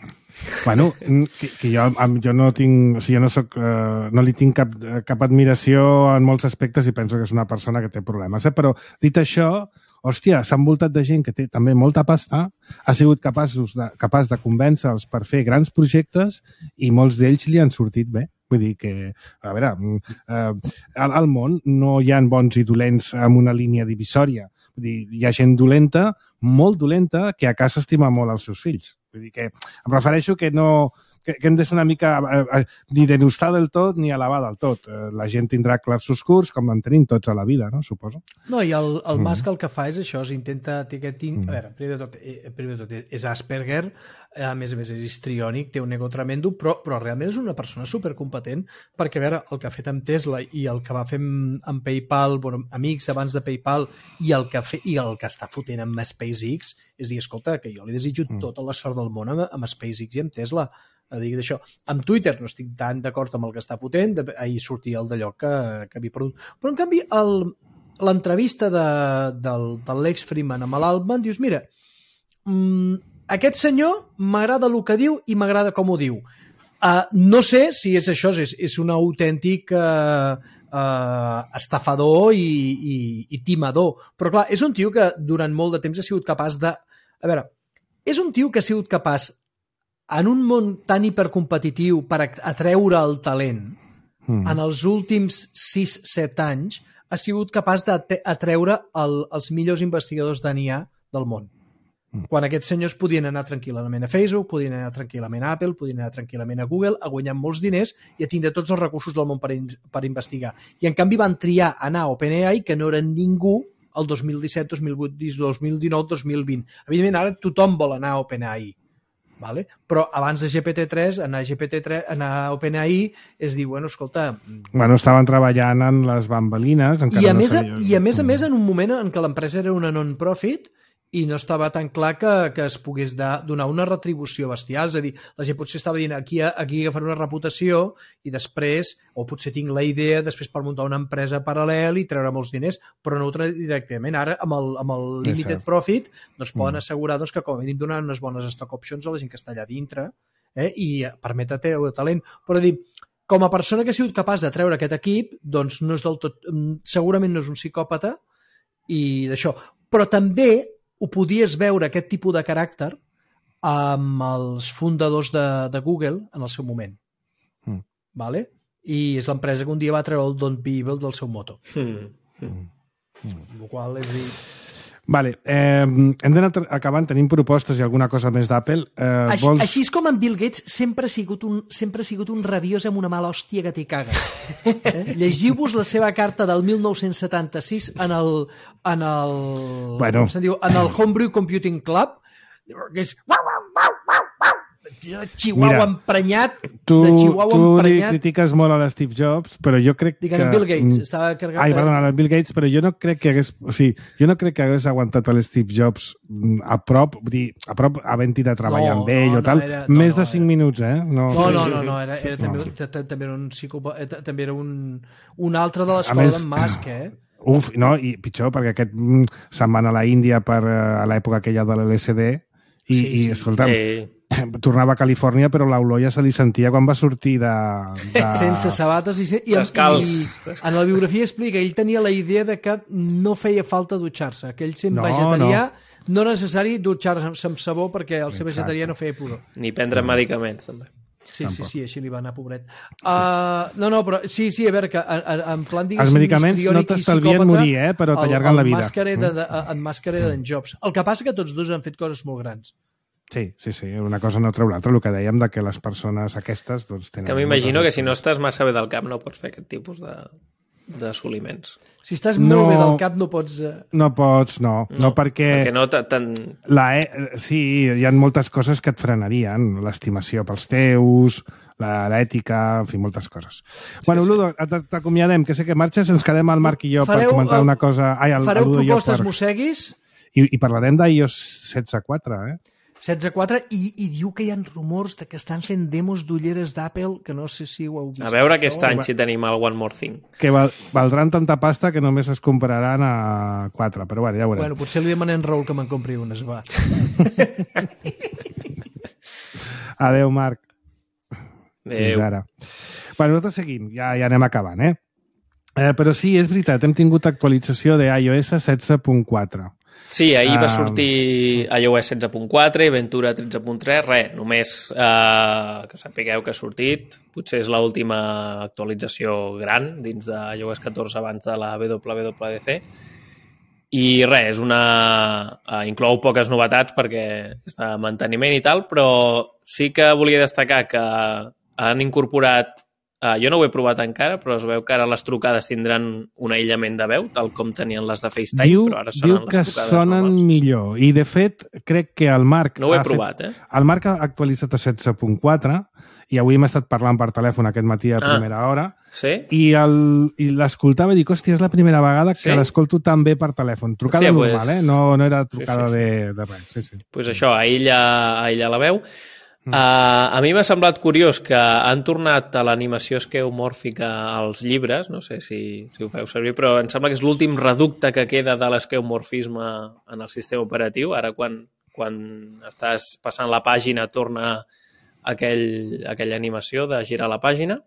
Bueno, que jo no tinc... O sigui, no li tinc cap admiració en molts aspectes i penso que és una persona que té problemes. Però, dit això, hòstia, s'ha envoltat de gent que té també molta pasta, ha sigut capaç de convèncer-los per fer grans projectes i molts d'ells li han sortit bé. Vull dir que, a veure, al món no hi ha bons i dolents amb una línia divisòria. Vull dir, hi ha gent dolenta, molt dolenta, que a casa estima molt els seus fills. Vull dir que em refereixo que que hem de ser una mica ni denostar del tot ni alabar del tot. La gent tindrà clars oscurs, com en tenim tots a la vida, no? Suposo. No, i el Musk el que fa és això, intenta... A veure, primer de tot, és Asperger, a més és histriònic, té un ego tremendo, però realment és una persona supercompetent, perquè, a veure, el que ha fet amb Tesla i el que va fer amb PayPal, bueno, amics abans de PayPal, i el que està fotent amb SpaceX, és dir, escolta, que jo li desitjo tota la sort del món amb SpaceX i amb Tesla. Dic d'això. Amb Twitter no estic tan d'acord amb el que està fotent, ahir sortia el d'allò que havia perdut. Però, en canvi, l'entrevista del Lex Fridman amb l'Altman, dius, mira, aquest senyor m'agrada el que diu i m'agrada com ho diu. No sé si és això, és un autèntic estafador i timador, però clar, és un tio que durant molt de temps ha sigut capaç de... A veure, és un tio que ha sigut capaç en un món tan hipercompetitiu per atreure el talent, en els últims 6-7 anys ha sigut capaç d'atreure els millors investigadors d'IA del món. Quan aquests senyors podien anar tranquil·lament a Facebook, podien anar tranquil·lament a Apple, podien anar tranquil·lament a Google, a guanyar molts diners i a tindre tots els recursos del món per investigar. I en canvi van triar anar a OpenAI, que no eren ningú, el 2017, 2018, 2019, 2020. Evidentment, ara tothom vol anar a OpenAI. Vale? Però abans de GPT-3, anar a OpenAI és dir, bueno, escolta... Bueno, estaven treballant en les bambalines... I a més, en un moment en què l'empresa era una non-profit i no estava tan clar que es pogués donar una retribució bestial. És a dir, la gent potser estava dient aquí agafar una reputació i després, o potser tinc la idea després per muntar una empresa paral·lel i treure molts diners, però no ho treure directament. Ara, amb el limited profit, doncs poden assegurar que com a mínim donar unes bones stock options a la gent que està allà dintre i permet treure talent. Però dir, com a persona que ha sigut capaç de treure aquest equip, doncs no és del tot... Segurament no és un psicòpata i d'això. Però també ho podies veure, aquest tipus de caràcter, amb els fundadors de Google en el seu moment. Vale? I és l'empresa que un dia va treure el Don't Be Evil del seu moto. El qual és dir... Vale, hem d'anar acabant, tenim propostes i alguna cosa més d'Apple. Així és com en Bill Gates sempre ha sigut un rabiós amb una mala hòstia que t'hi caga. Llegiu-vos la seva carta del 1976 en el Homebrew Computing Club, que és Chihuahua emprenyat. Tu li critiques molt a l'Steve Jobs, però jo crec que... Bill Gates estava carregat... Perdona, Bill Gates, però jo no crec que hagués... O sigui, jo no crec que hagués aguantat l'Steve Jobs a prop, vull dir, a prop havent-hi de treballar amb ell o tal, més de 5 minuts, eh? No, també era un psicòpata, també era un altre de l'escola d'en Musk, eh? Uf, no, i pitjor, perquè aquest se'n van a la Índia a l'època aquella de l'LSD i escolta'm, tornava a Califòrnia, però l'olor ja se li sentia quan va sortir de... Sense sabates i en la biografia explica, ell tenia la idea de que no feia falta dutxar-se, que ell sent vegetarià, no era necessari dutxar-se amb sabó perquè el ser vegetarià no feia pudor. Ni prendre medicaments, també. Sí, així li va anar, pobret. Però sí, a veure, que en plan, diguéssim, els medicaments no t'estalvien morir, però t'allarguen la vida. En Musk era d'en Jobs. El que passa que tots dos han fet coses molt grans. Sí, una cosa no treu l'altra, el que dèiem de que les persones aquestes doncs, tenen... Que m'imagino que si no estàs massa bé del cap no pots fer aquest tipus d'assoliments. Si estàs molt bé del cap no pots... No pots, no, perquè no sí, hi ha moltes coses que et frenarien, l'estimació pels teus, l'ètica, en fi, moltes coses. Bueno, Ludo, t'acomiadem, que sé que marxes, ens quedem al Marc i jo per comentar una cosa... Fareu propostes, mosseguis? I parlarem d'iOS 16.4, 16.4 i diu que hi ha rumors de que estan fent demos d'ulleres d'Apple, que no sé si ho heu vist. A veure aquest any si tenim el One More Thing. Que valdran tanta pasta que només es compraran a 4, però bueno, ja ho veurem. Bueno, potser li demanem Raül que me'n compri unes, va. Adéu, Marc. Adéu. Fins ara. Bueno, nosaltres seguim, ja anem acabant, però sí, és veritat, hem tingut actualització d'iOS 16.4. Sí, ahir va sortir iOS 16.4 i Ventura 13.3, només que sapigueu que ha sortit, potser és l'última actualització gran dins de iOS 14 abans de la WWDC I res, inclou poques novetats perquè està en manteniment i tal, però sí que volia destacar que han incorporat, jo no ho he provat encara, però es veu que ara les trucades tindran un aïllament de veu, tal com tenien les de FaceTime, però ara sonen les trucades que sonen normals. millor. I, de fet, crec que el Marc... No ho he provat, El Marc ha actualitzat a 16.4 i avui hem estat parlant per telèfon aquest matí a primera hora. Sí? I l'escoltava i dic, hòstia, és la primera vegada que l'escolto tan bé per telèfon. Trucada normal, No era trucada de res. Sí. Pues això, aïlla la veu. A mi m'ha semblat curiós que han tornat a l'animació esqueomòrfica als llibres, no sé si ho feu servir, però em sembla que és l'últim reducte que queda de l'esqueomorfisme en el sistema operatiu. Ara, quan estàs passant la pàgina, torna aquella animació de girar la pàgina.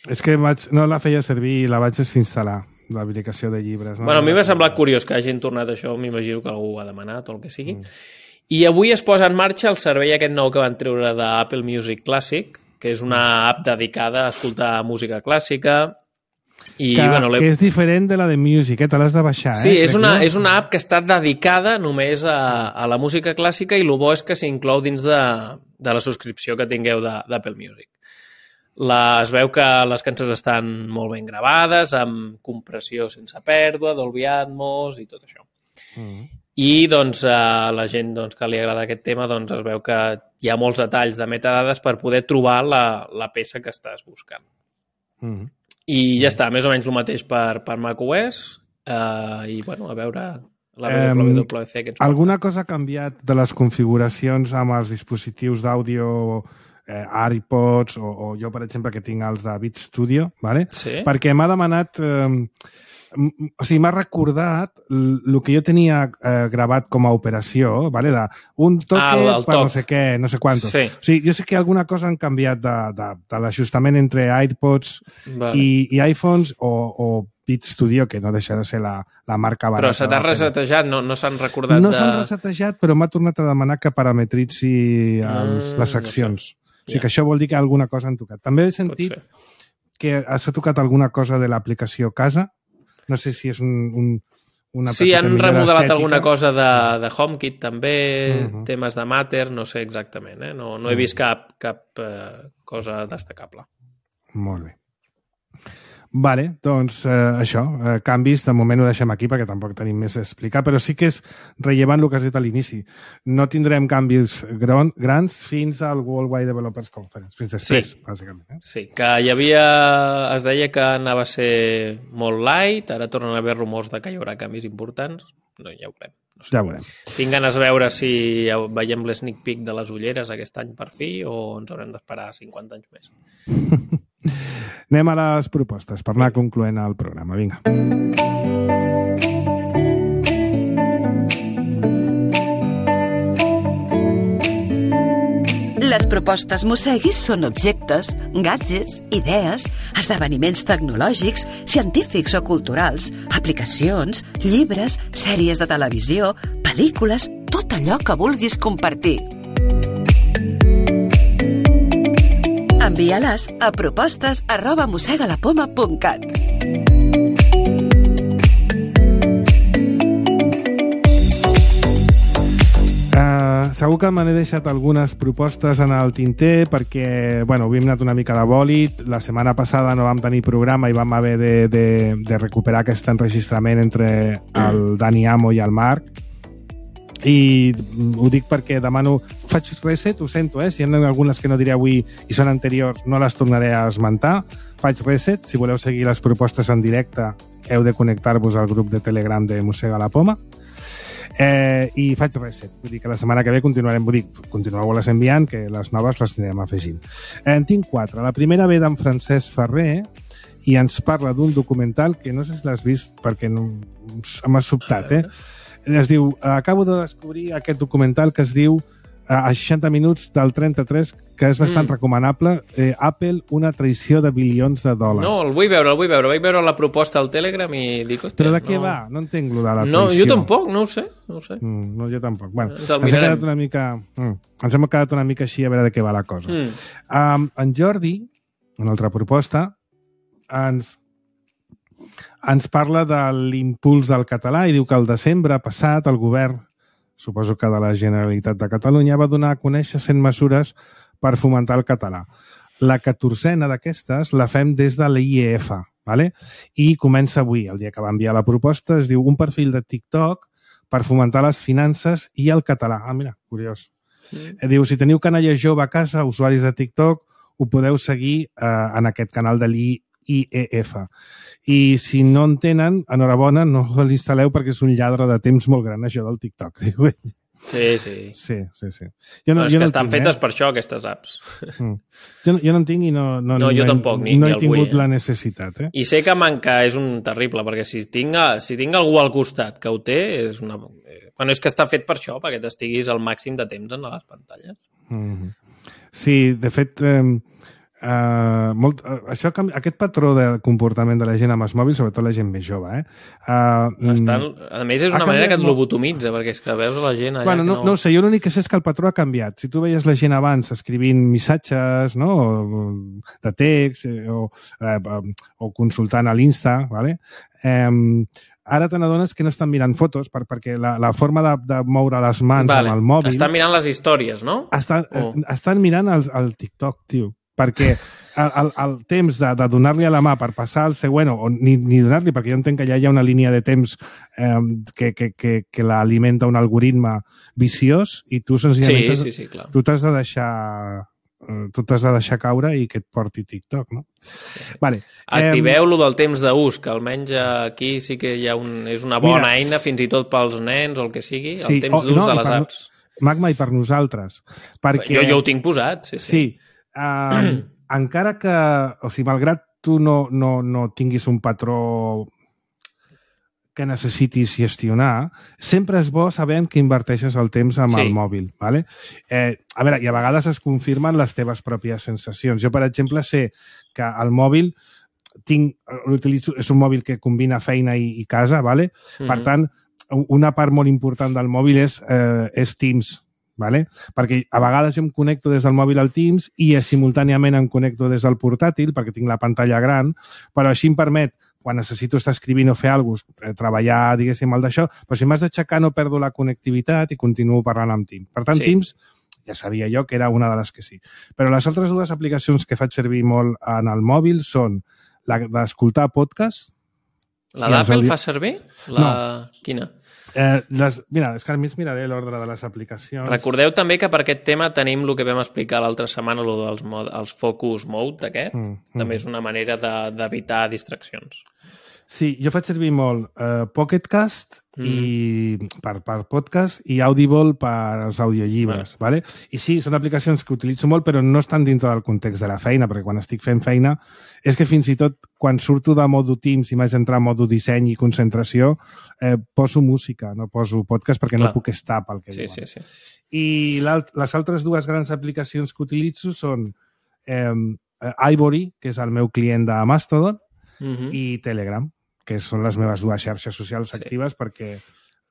És que no la feia servir i la vaig desinstal·lar, l'aplicació de llibres. Bueno, a mi m'ha semblat curiós que hagin tornat això, m'imagino que algú ho ha demanat o el que sigui. I avui es posa en marxa el servei aquest nou que van treure d'Apple Music Classic, que és una app dedicada a escoltar música clàssica. Que és diferent de la de Music, te l'has de baixar. Sí, és una app que està dedicada només a la música clàssica i el bo és que s'inclou dins de la subscripció que tingueu d'Apple Music. Es veu que les cançons estan molt ben gravades, amb compressió sense pèrdua, Dolby Atmos i tot això. I doncs, a la gent que li agrada aquest tema es veu que hi ha molts detalls de metadades per poder trobar la peça que estàs buscant. I ja està, més o menys el mateix per macOS i, bueno, a veure la WWDC que ens alguna cosa ha canviat de les configuracions amb els dispositius d'àudio iPods o jo, per exemple, que tinc els de Beat Studio, ¿vale? Sí? Perquè m'ha demanat... o sigui, m'ha recordat el que jo tenia gravat com a operació, ¿vale? Un toque per no sé què, no sé quantos. Sí. O sigui, jo sé que alguna cosa han canviat de l'ajustament entre AirPods i iPhones o Beat Studio, que no deixa de ser la marca barata. Però se t'ha resetejat? No s'han recordat No s'han resetejat, però m'ha tornat a demanar que parametritzi les seccions. O sigui que això vol dir que alguna cosa han tocat. També he sentit que s'ha tocat alguna cosa de l'aplicació Casa. No sé si és una sí, han remodelat alguna cosa de HomeKit també, temes de Matter, no sé exactament, no he vist cap cosa destacable. Molt bé. Vale, doncs això, canvis, de moment ho deixem aquí perquè tampoc tenim més a explicar, però sí que és rellevant el que has dit a l'inici. No tindrem canvis grans fins al Worldwide Developers Conference, fins després, bàsicament. Sí, que es deia que anava a ser molt light, ara tornen a haver rumors de que hi haurà canvis importants, no, ja ho veurem. No sé. Ja ho veurem. Tinc ganes de veure si veiem l'sneak peek de les ulleres aquest any per fi o ens haurem d'esperar 50 anys més. Anem a les propostes per anar concloent el programa. Vinga. Les propostes Mosegui són objectes, gadgets, idees, esdeveniments tecnològics, científics o culturals, aplicacions, llibres, sèries de televisió, pel·lícules, tot allò que vulguis compartir. Envia-les a propostes@mosegalapoma.cat. Segur que me n'he deixat algunes propostes en el tinter perquè, bueno, avui hem anat una mica de bòlit. La setmana passada no vam tenir programa i vam haver de recuperar aquest enregistrament entre el Dani Amo i el Marc. I ho dic perquè demano... Faig reset, ho sento, si hi ha algunes que no diré avui i són anteriors, no les tornaré a esmentar. Faig reset, si voleu seguir les propostes en directe heu de connectar-vos al grup de Telegram de Mossega la Poma. I faig reset, vull dir que la setmana que ve continueu-les enviant, que les noves les anirem afegint. En tinc 4. La primera ve d'en Francesc Ferrer i ens parla d'un documental que no sé si l'has vist perquè m'ha sobtat, Es diu, acabo de descobrir aquest documental que es diu a 60 minuts del 33, que és bastant recomanable, Apple, una traïció de bilions de dòlars. No, el vull veure. Vaig veure la proposta al Telegram i dic... Però de què va? No entenc lo de la traïció. No, jo tampoc, no ho sé. No, jo tampoc. Bueno, ens hem quedat una mica així a veure de què va la cosa. En Jordi, una altra proposta, ens ens parla de l'impuls del català i diu que el desembre passat el govern, suposo que de la Generalitat de Catalunya, va donar a conèixer 100 mesures per fomentar el català. La 14a d'aquestes la fem des de l'IEF, ¿vale? I comença avui, el dia que va enviar la proposta, es diu un perfil de TikTok per fomentar les finances i el català. Ah, mira, curiós. Diu, si teniu canalla jove a casa, usuaris de TikTok, ho podeu seguir en aquest canal de l'IEF. I si no en tenen, enhorabona, no l'instal·leu perquè és un lladre de temps molt gran, això del TikTok, diu ell. Sí. Jo és que estan fetes per això, aquestes apps. Jo no en tinc i no jo tampoc, no he tingut la necessitat. I sé que manca és un terrible, perquè si tinc algú al costat que ho té, és una... Bueno, és que està fet per això, perquè t'estiguis al màxim de temps en les pantalles. Sí, de fet... aquest patró de comportament de la gent amb els mòbils, sobretot la gent més jove, a més, és una manera que et lobotomitza, perquè és que veus la gent allà... Bueno, no ho sé, jo l'únic que sé és que el patró ha canviat. Si tu veies la gent abans escrivint missatges, no?, de text o consultant a l'Insta, ¿vale? Ara te n'adones que no estan mirant fotos perquè la forma de moure les mans amb el mòbil... Estan mirant les històries, no? Estan mirant el TikTok, tio. Perquè el temps de donar-li a la mà per passar al següent, o ni donar-li, perquè jo entenc que ja hi ha una línia de temps que l'alimenta un algoritme viciós i tu senzillament tu t'has de deixar caure i que et porti TikTok, no? Vale. Activeu-lo del temps d'ús, que almenys aquí sí que és una bona eina, fins i tot pels nens o el que sigui, el temps d'ús de les apps. Magma, i per nosaltres. Perquè... Jo ho tinc posat, sí. Encara que, o sigui, malgrat tu no tinguis un patró que necessitis gestionar, sempre és bo sabent que inverteixes el temps amb el mòbil, ¿vale? A veure, i a vegades es confirmen les teves pròpies sensacions. Jo, per exemple, sé que el mòbil l'utilitzo, és un mòbil que combina feina i casa, ¿vale? Per tant, una part molt important del mòbil és Teams, ¿vale? Perquè a vegades jo em connecto des del mòbil al Teams i simultàniament em connecto des del portàtil perquè tinc la pantalla gran, però així em permet, quan necessito estar escrivint o fer alguna cosa, treballar, diguéssim, el d'això, però si m'has d'aixecar no perdo la connectivitat i continuo parlant amb Teams. Per tant, Teams ja sabia jo que era una de les que sí. Però les altres dues aplicacions que faig servir molt en el mòbil són la d'escoltar podcast. La d'Apple fa servir? No. Quina? Mira, és que a més miraré l'ordre de les aplicacions. Recordeu també que per aquest tema tenim el que vam explicar l'altra setmana, els focus mode aquest. També és una manera d'evitar distraccions. Sí, jo faig servir molt Pocket Cast per podcast i Audible per als audiollibres, ¿vale? I sí, són aplicacions que utilitzo molt, però no estan dintre del context de la feina, perquè quan estic fent feina és que fins i tot quan surto de modo Teams i m'haig d'entrar en modo disseny i concentració, poso música, no poso podcast perquè no puc estar pel que diuen. Sí. I les altres dues grans aplicacions que utilitzo són Ivory, que és el meu client de Mastodon, i Telegram, que són les meves dues xarxes socials actives, perquè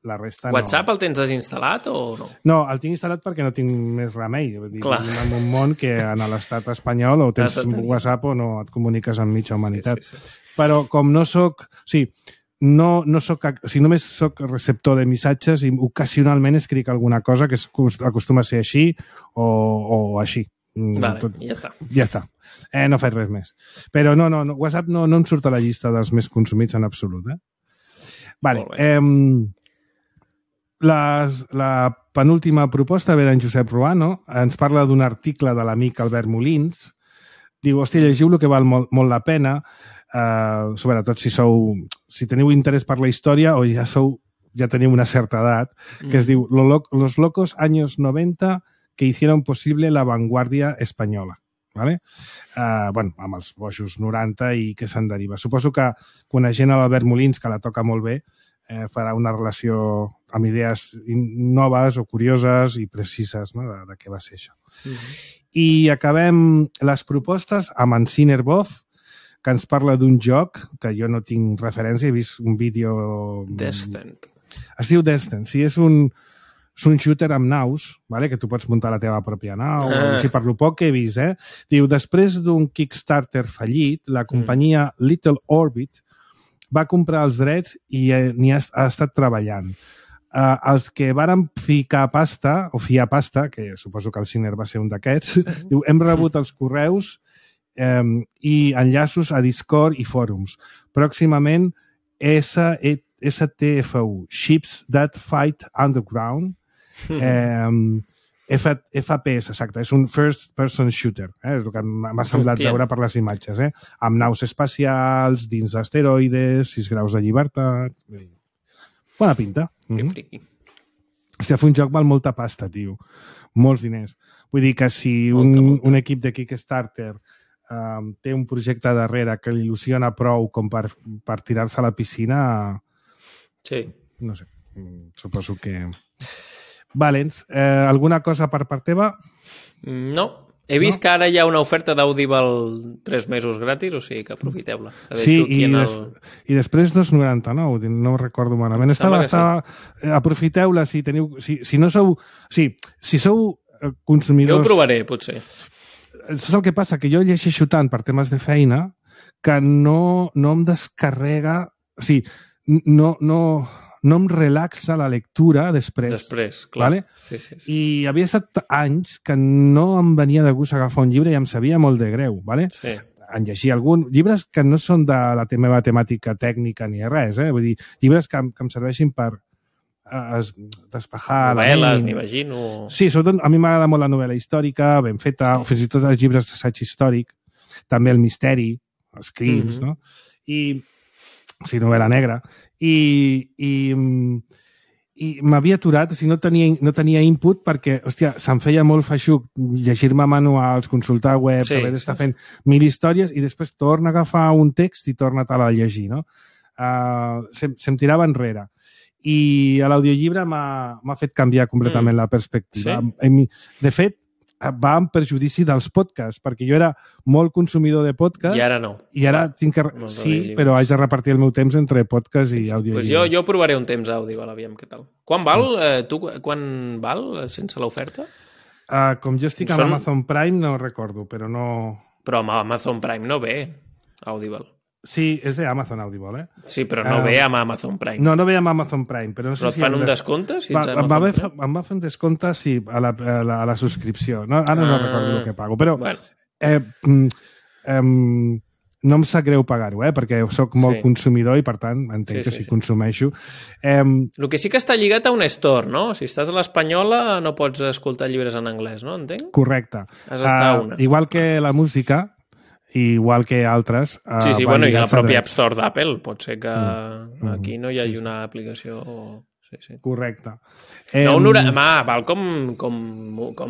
la resta WhatsApp el tens desinstal·lat o no? No, el tinc instal·lat perquè no tinc més remei. Vivim en un món que en l'estat espanyol o tens WhatsApp o no et comuniques amb mitja humanitat. Sí. Però com no soc... O sigui, només soc receptor de missatges i ocasionalment escric alguna cosa que acostuma a ser així o així. Vale, ja està. Ja està. No faig res més. Però no, WhatsApp no em surt a la llista dels més consumits en absolut. Vale. La penúltima proposta ve d'en Josep Ruano. Ens parla d'un article de l'amic Albert Molins. Diu, hòstia, llegiu-lo que val molt la pena, sobretot si teniu interès per la història o ja teniu una certa edat, que es diu Los locos años 90 que hicieron posible la vanguardia española. ¿Vale? Amb els bojos 90 i què se'n deriva. Suposo que coneixent l'Albert Molins, que la toca molt bé, farà una relació amb idees noves o curioses i precises, no?, de què va ser això. I acabem les propostes amb en Cinerbov, que ens parla d'un joc que jo no tinc referència, he vist un vídeo... Descent. Es diu Descent, sí, és un shooter amb naus, vale? Que tu pots muntar la teva pròpia nau, així per lo poc que he vist. Diu, després d'un Kickstarter fallit, la companyia Little Orbit va comprar els drets i n'hi ha estat treballant. Els que varen ficar pasta, o fiar pasta, que suposo que el Sinner va ser un d'aquests, diu, hem rebut els correus i enllaços a Discord i fòrums. Pròximament, STFU, Ships That Fight Underground, FPS, exacte, és un first person shooter, és el que m'ha semblat veure per les imatges, amb naus espacials, dins d'asteroides, 6 graus de llibertat... Bona pinta. Que friqui. Hòstia, fer un joc val molta pasta, tio. Molts diners. Vull dir que si un equip de Kickstarter té un projecte darrere que l'il·lusiona prou com per tirar-se a la piscina... Sí. No sé, suposo que... Valens, alguna cosa per part teva? No. He vist que ara hi ha una oferta d'Audible 3 mesos gratis, o sigui que aprofiteu-la. Sí, i després 2,99, no ho recordo malament. Aprofiteu-la si teniu... Si no sou... Si sou consumidors... Jo ho provaré, potser. Saps el que passa? Que jo llegeixo tant per temes de feina que no em descarrega... O sigui, no em relaxa la lectura després. Després, clar. Vale? Sí. I havia estat anys que no em venia de gust agafar un llibre i em sabia molt de greu, vale? Sí. En llegir llibres que no són de la meva temàtica tècnica ni res, Vull dir, llibres que em serveixin per despejar la ment. Novel·les, m'imagino. Sí, sobretot a mi m'agrada molt la novel·la històrica, ben feta, o fins i tot els llibres d'assaig històric, també el misteri, els crims, no? O sigui, novel·la negra. I m'havia aturat, o sigui, no tenia input perquè, hòstia, se'm feia molt feixuc llegir-me manuals, consultar webs, haver d'estar fent 1000 històries i després torna a agafar un text i torna-te'l a llegir, no? Se'm tirava enrere. I a l'audiollibre m'ha fet canviar completament la perspectiva. Sí? De fet, va en perjudici dels podcasts, perquè jo era molt consumidor de podcasts. I ara no. I ara tinc que... Sí, però haig de repartir el meu temps entre podcast i àudio. Pues jo provaré un temps àudio, aviam què tal. Quan val? Quan val sense l'oferta? Com jo estic amb Amazon Prime no recordo, però no... Però amb Amazon Prime no ve Audible. Sí, és d'Amazon Audible, Sí, però no ve amb Amazon Prime. No ve amb Amazon Prime. Però no sé et fan un descompte? Em va fer un descompte, sí, a la subscripció. Ara no recordo el que pago, però no em sap greu pagar-ho, perquè sóc molt consumidor i, per tant, entenc que si consumeixo... El que sí que està lligat a un store, no? Si estàs a l'Espanyola no pots escoltar llibres en anglès, no? Entenc? Correcte. Has d'estar a una. Igual que la música, igual que altres... Sí, bueno, i la pròpia App Store d'Apple. Pot ser que aquí no hi hagi una aplicació... Sí. Correcte. Val com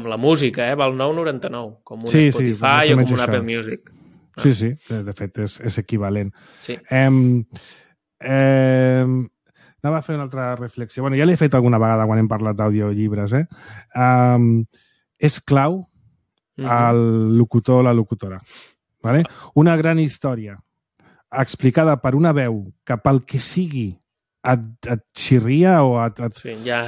la música, val 9,99, com un Spotify o com un Apple Music. Sí, de fet és equivalent. Sí. Anava a fer una altra reflexió. Bueno, ja l'he fet alguna vegada quan hem parlat d'audiollibres, És clau el locutor o la locutora. Vale? Una gran història explicada per una veu que pel que sigui et xirria o ja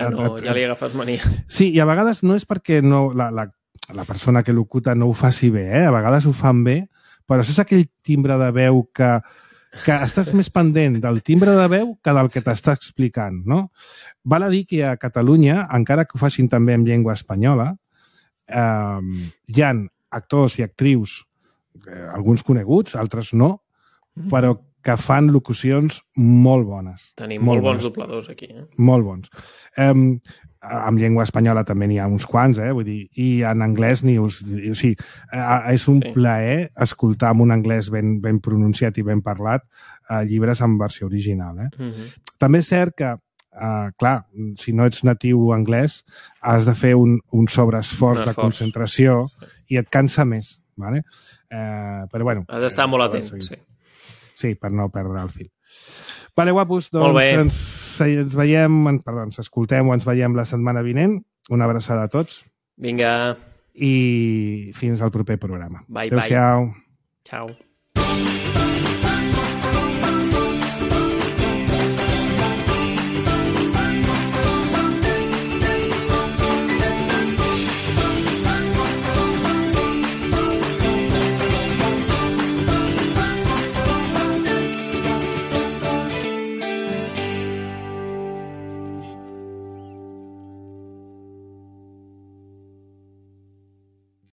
li agafes mania. Sí, i a vegades no és perquè la persona que locuta no ho faci bé, a vegades ho fan bé, però és aquell timbre de veu que estàs més pendent del timbre de veu que del que t'està explicant, no? Val a dir que a Catalunya, encara que ho facin també en llengua espanyola, hi ha actors i actrius, alguns coneguts, altres no, però que fan locucions molt bones. Tenim molt bons dobladors aquí. Molt bons. En llengua espanyola també n'hi ha uns quants, vull dir, i en anglès o sigui, és un plaer escoltar en un anglès ben pronunciat i ben parlat llibres en versió original. També és cert que, clar, si no ets natiu anglès, has de fer un sobreesforç de concentració i et cansa més, vale? Però bueno... Has d'estar molt atent, Sí, per no perdre el fil. Vale, guapos, doncs ens veiem, ens escoltem o ens veiem la setmana vinent. Una abraçada a tots. Vinga. I fins al proper programa. Bye. Adéu-siau. Ciao.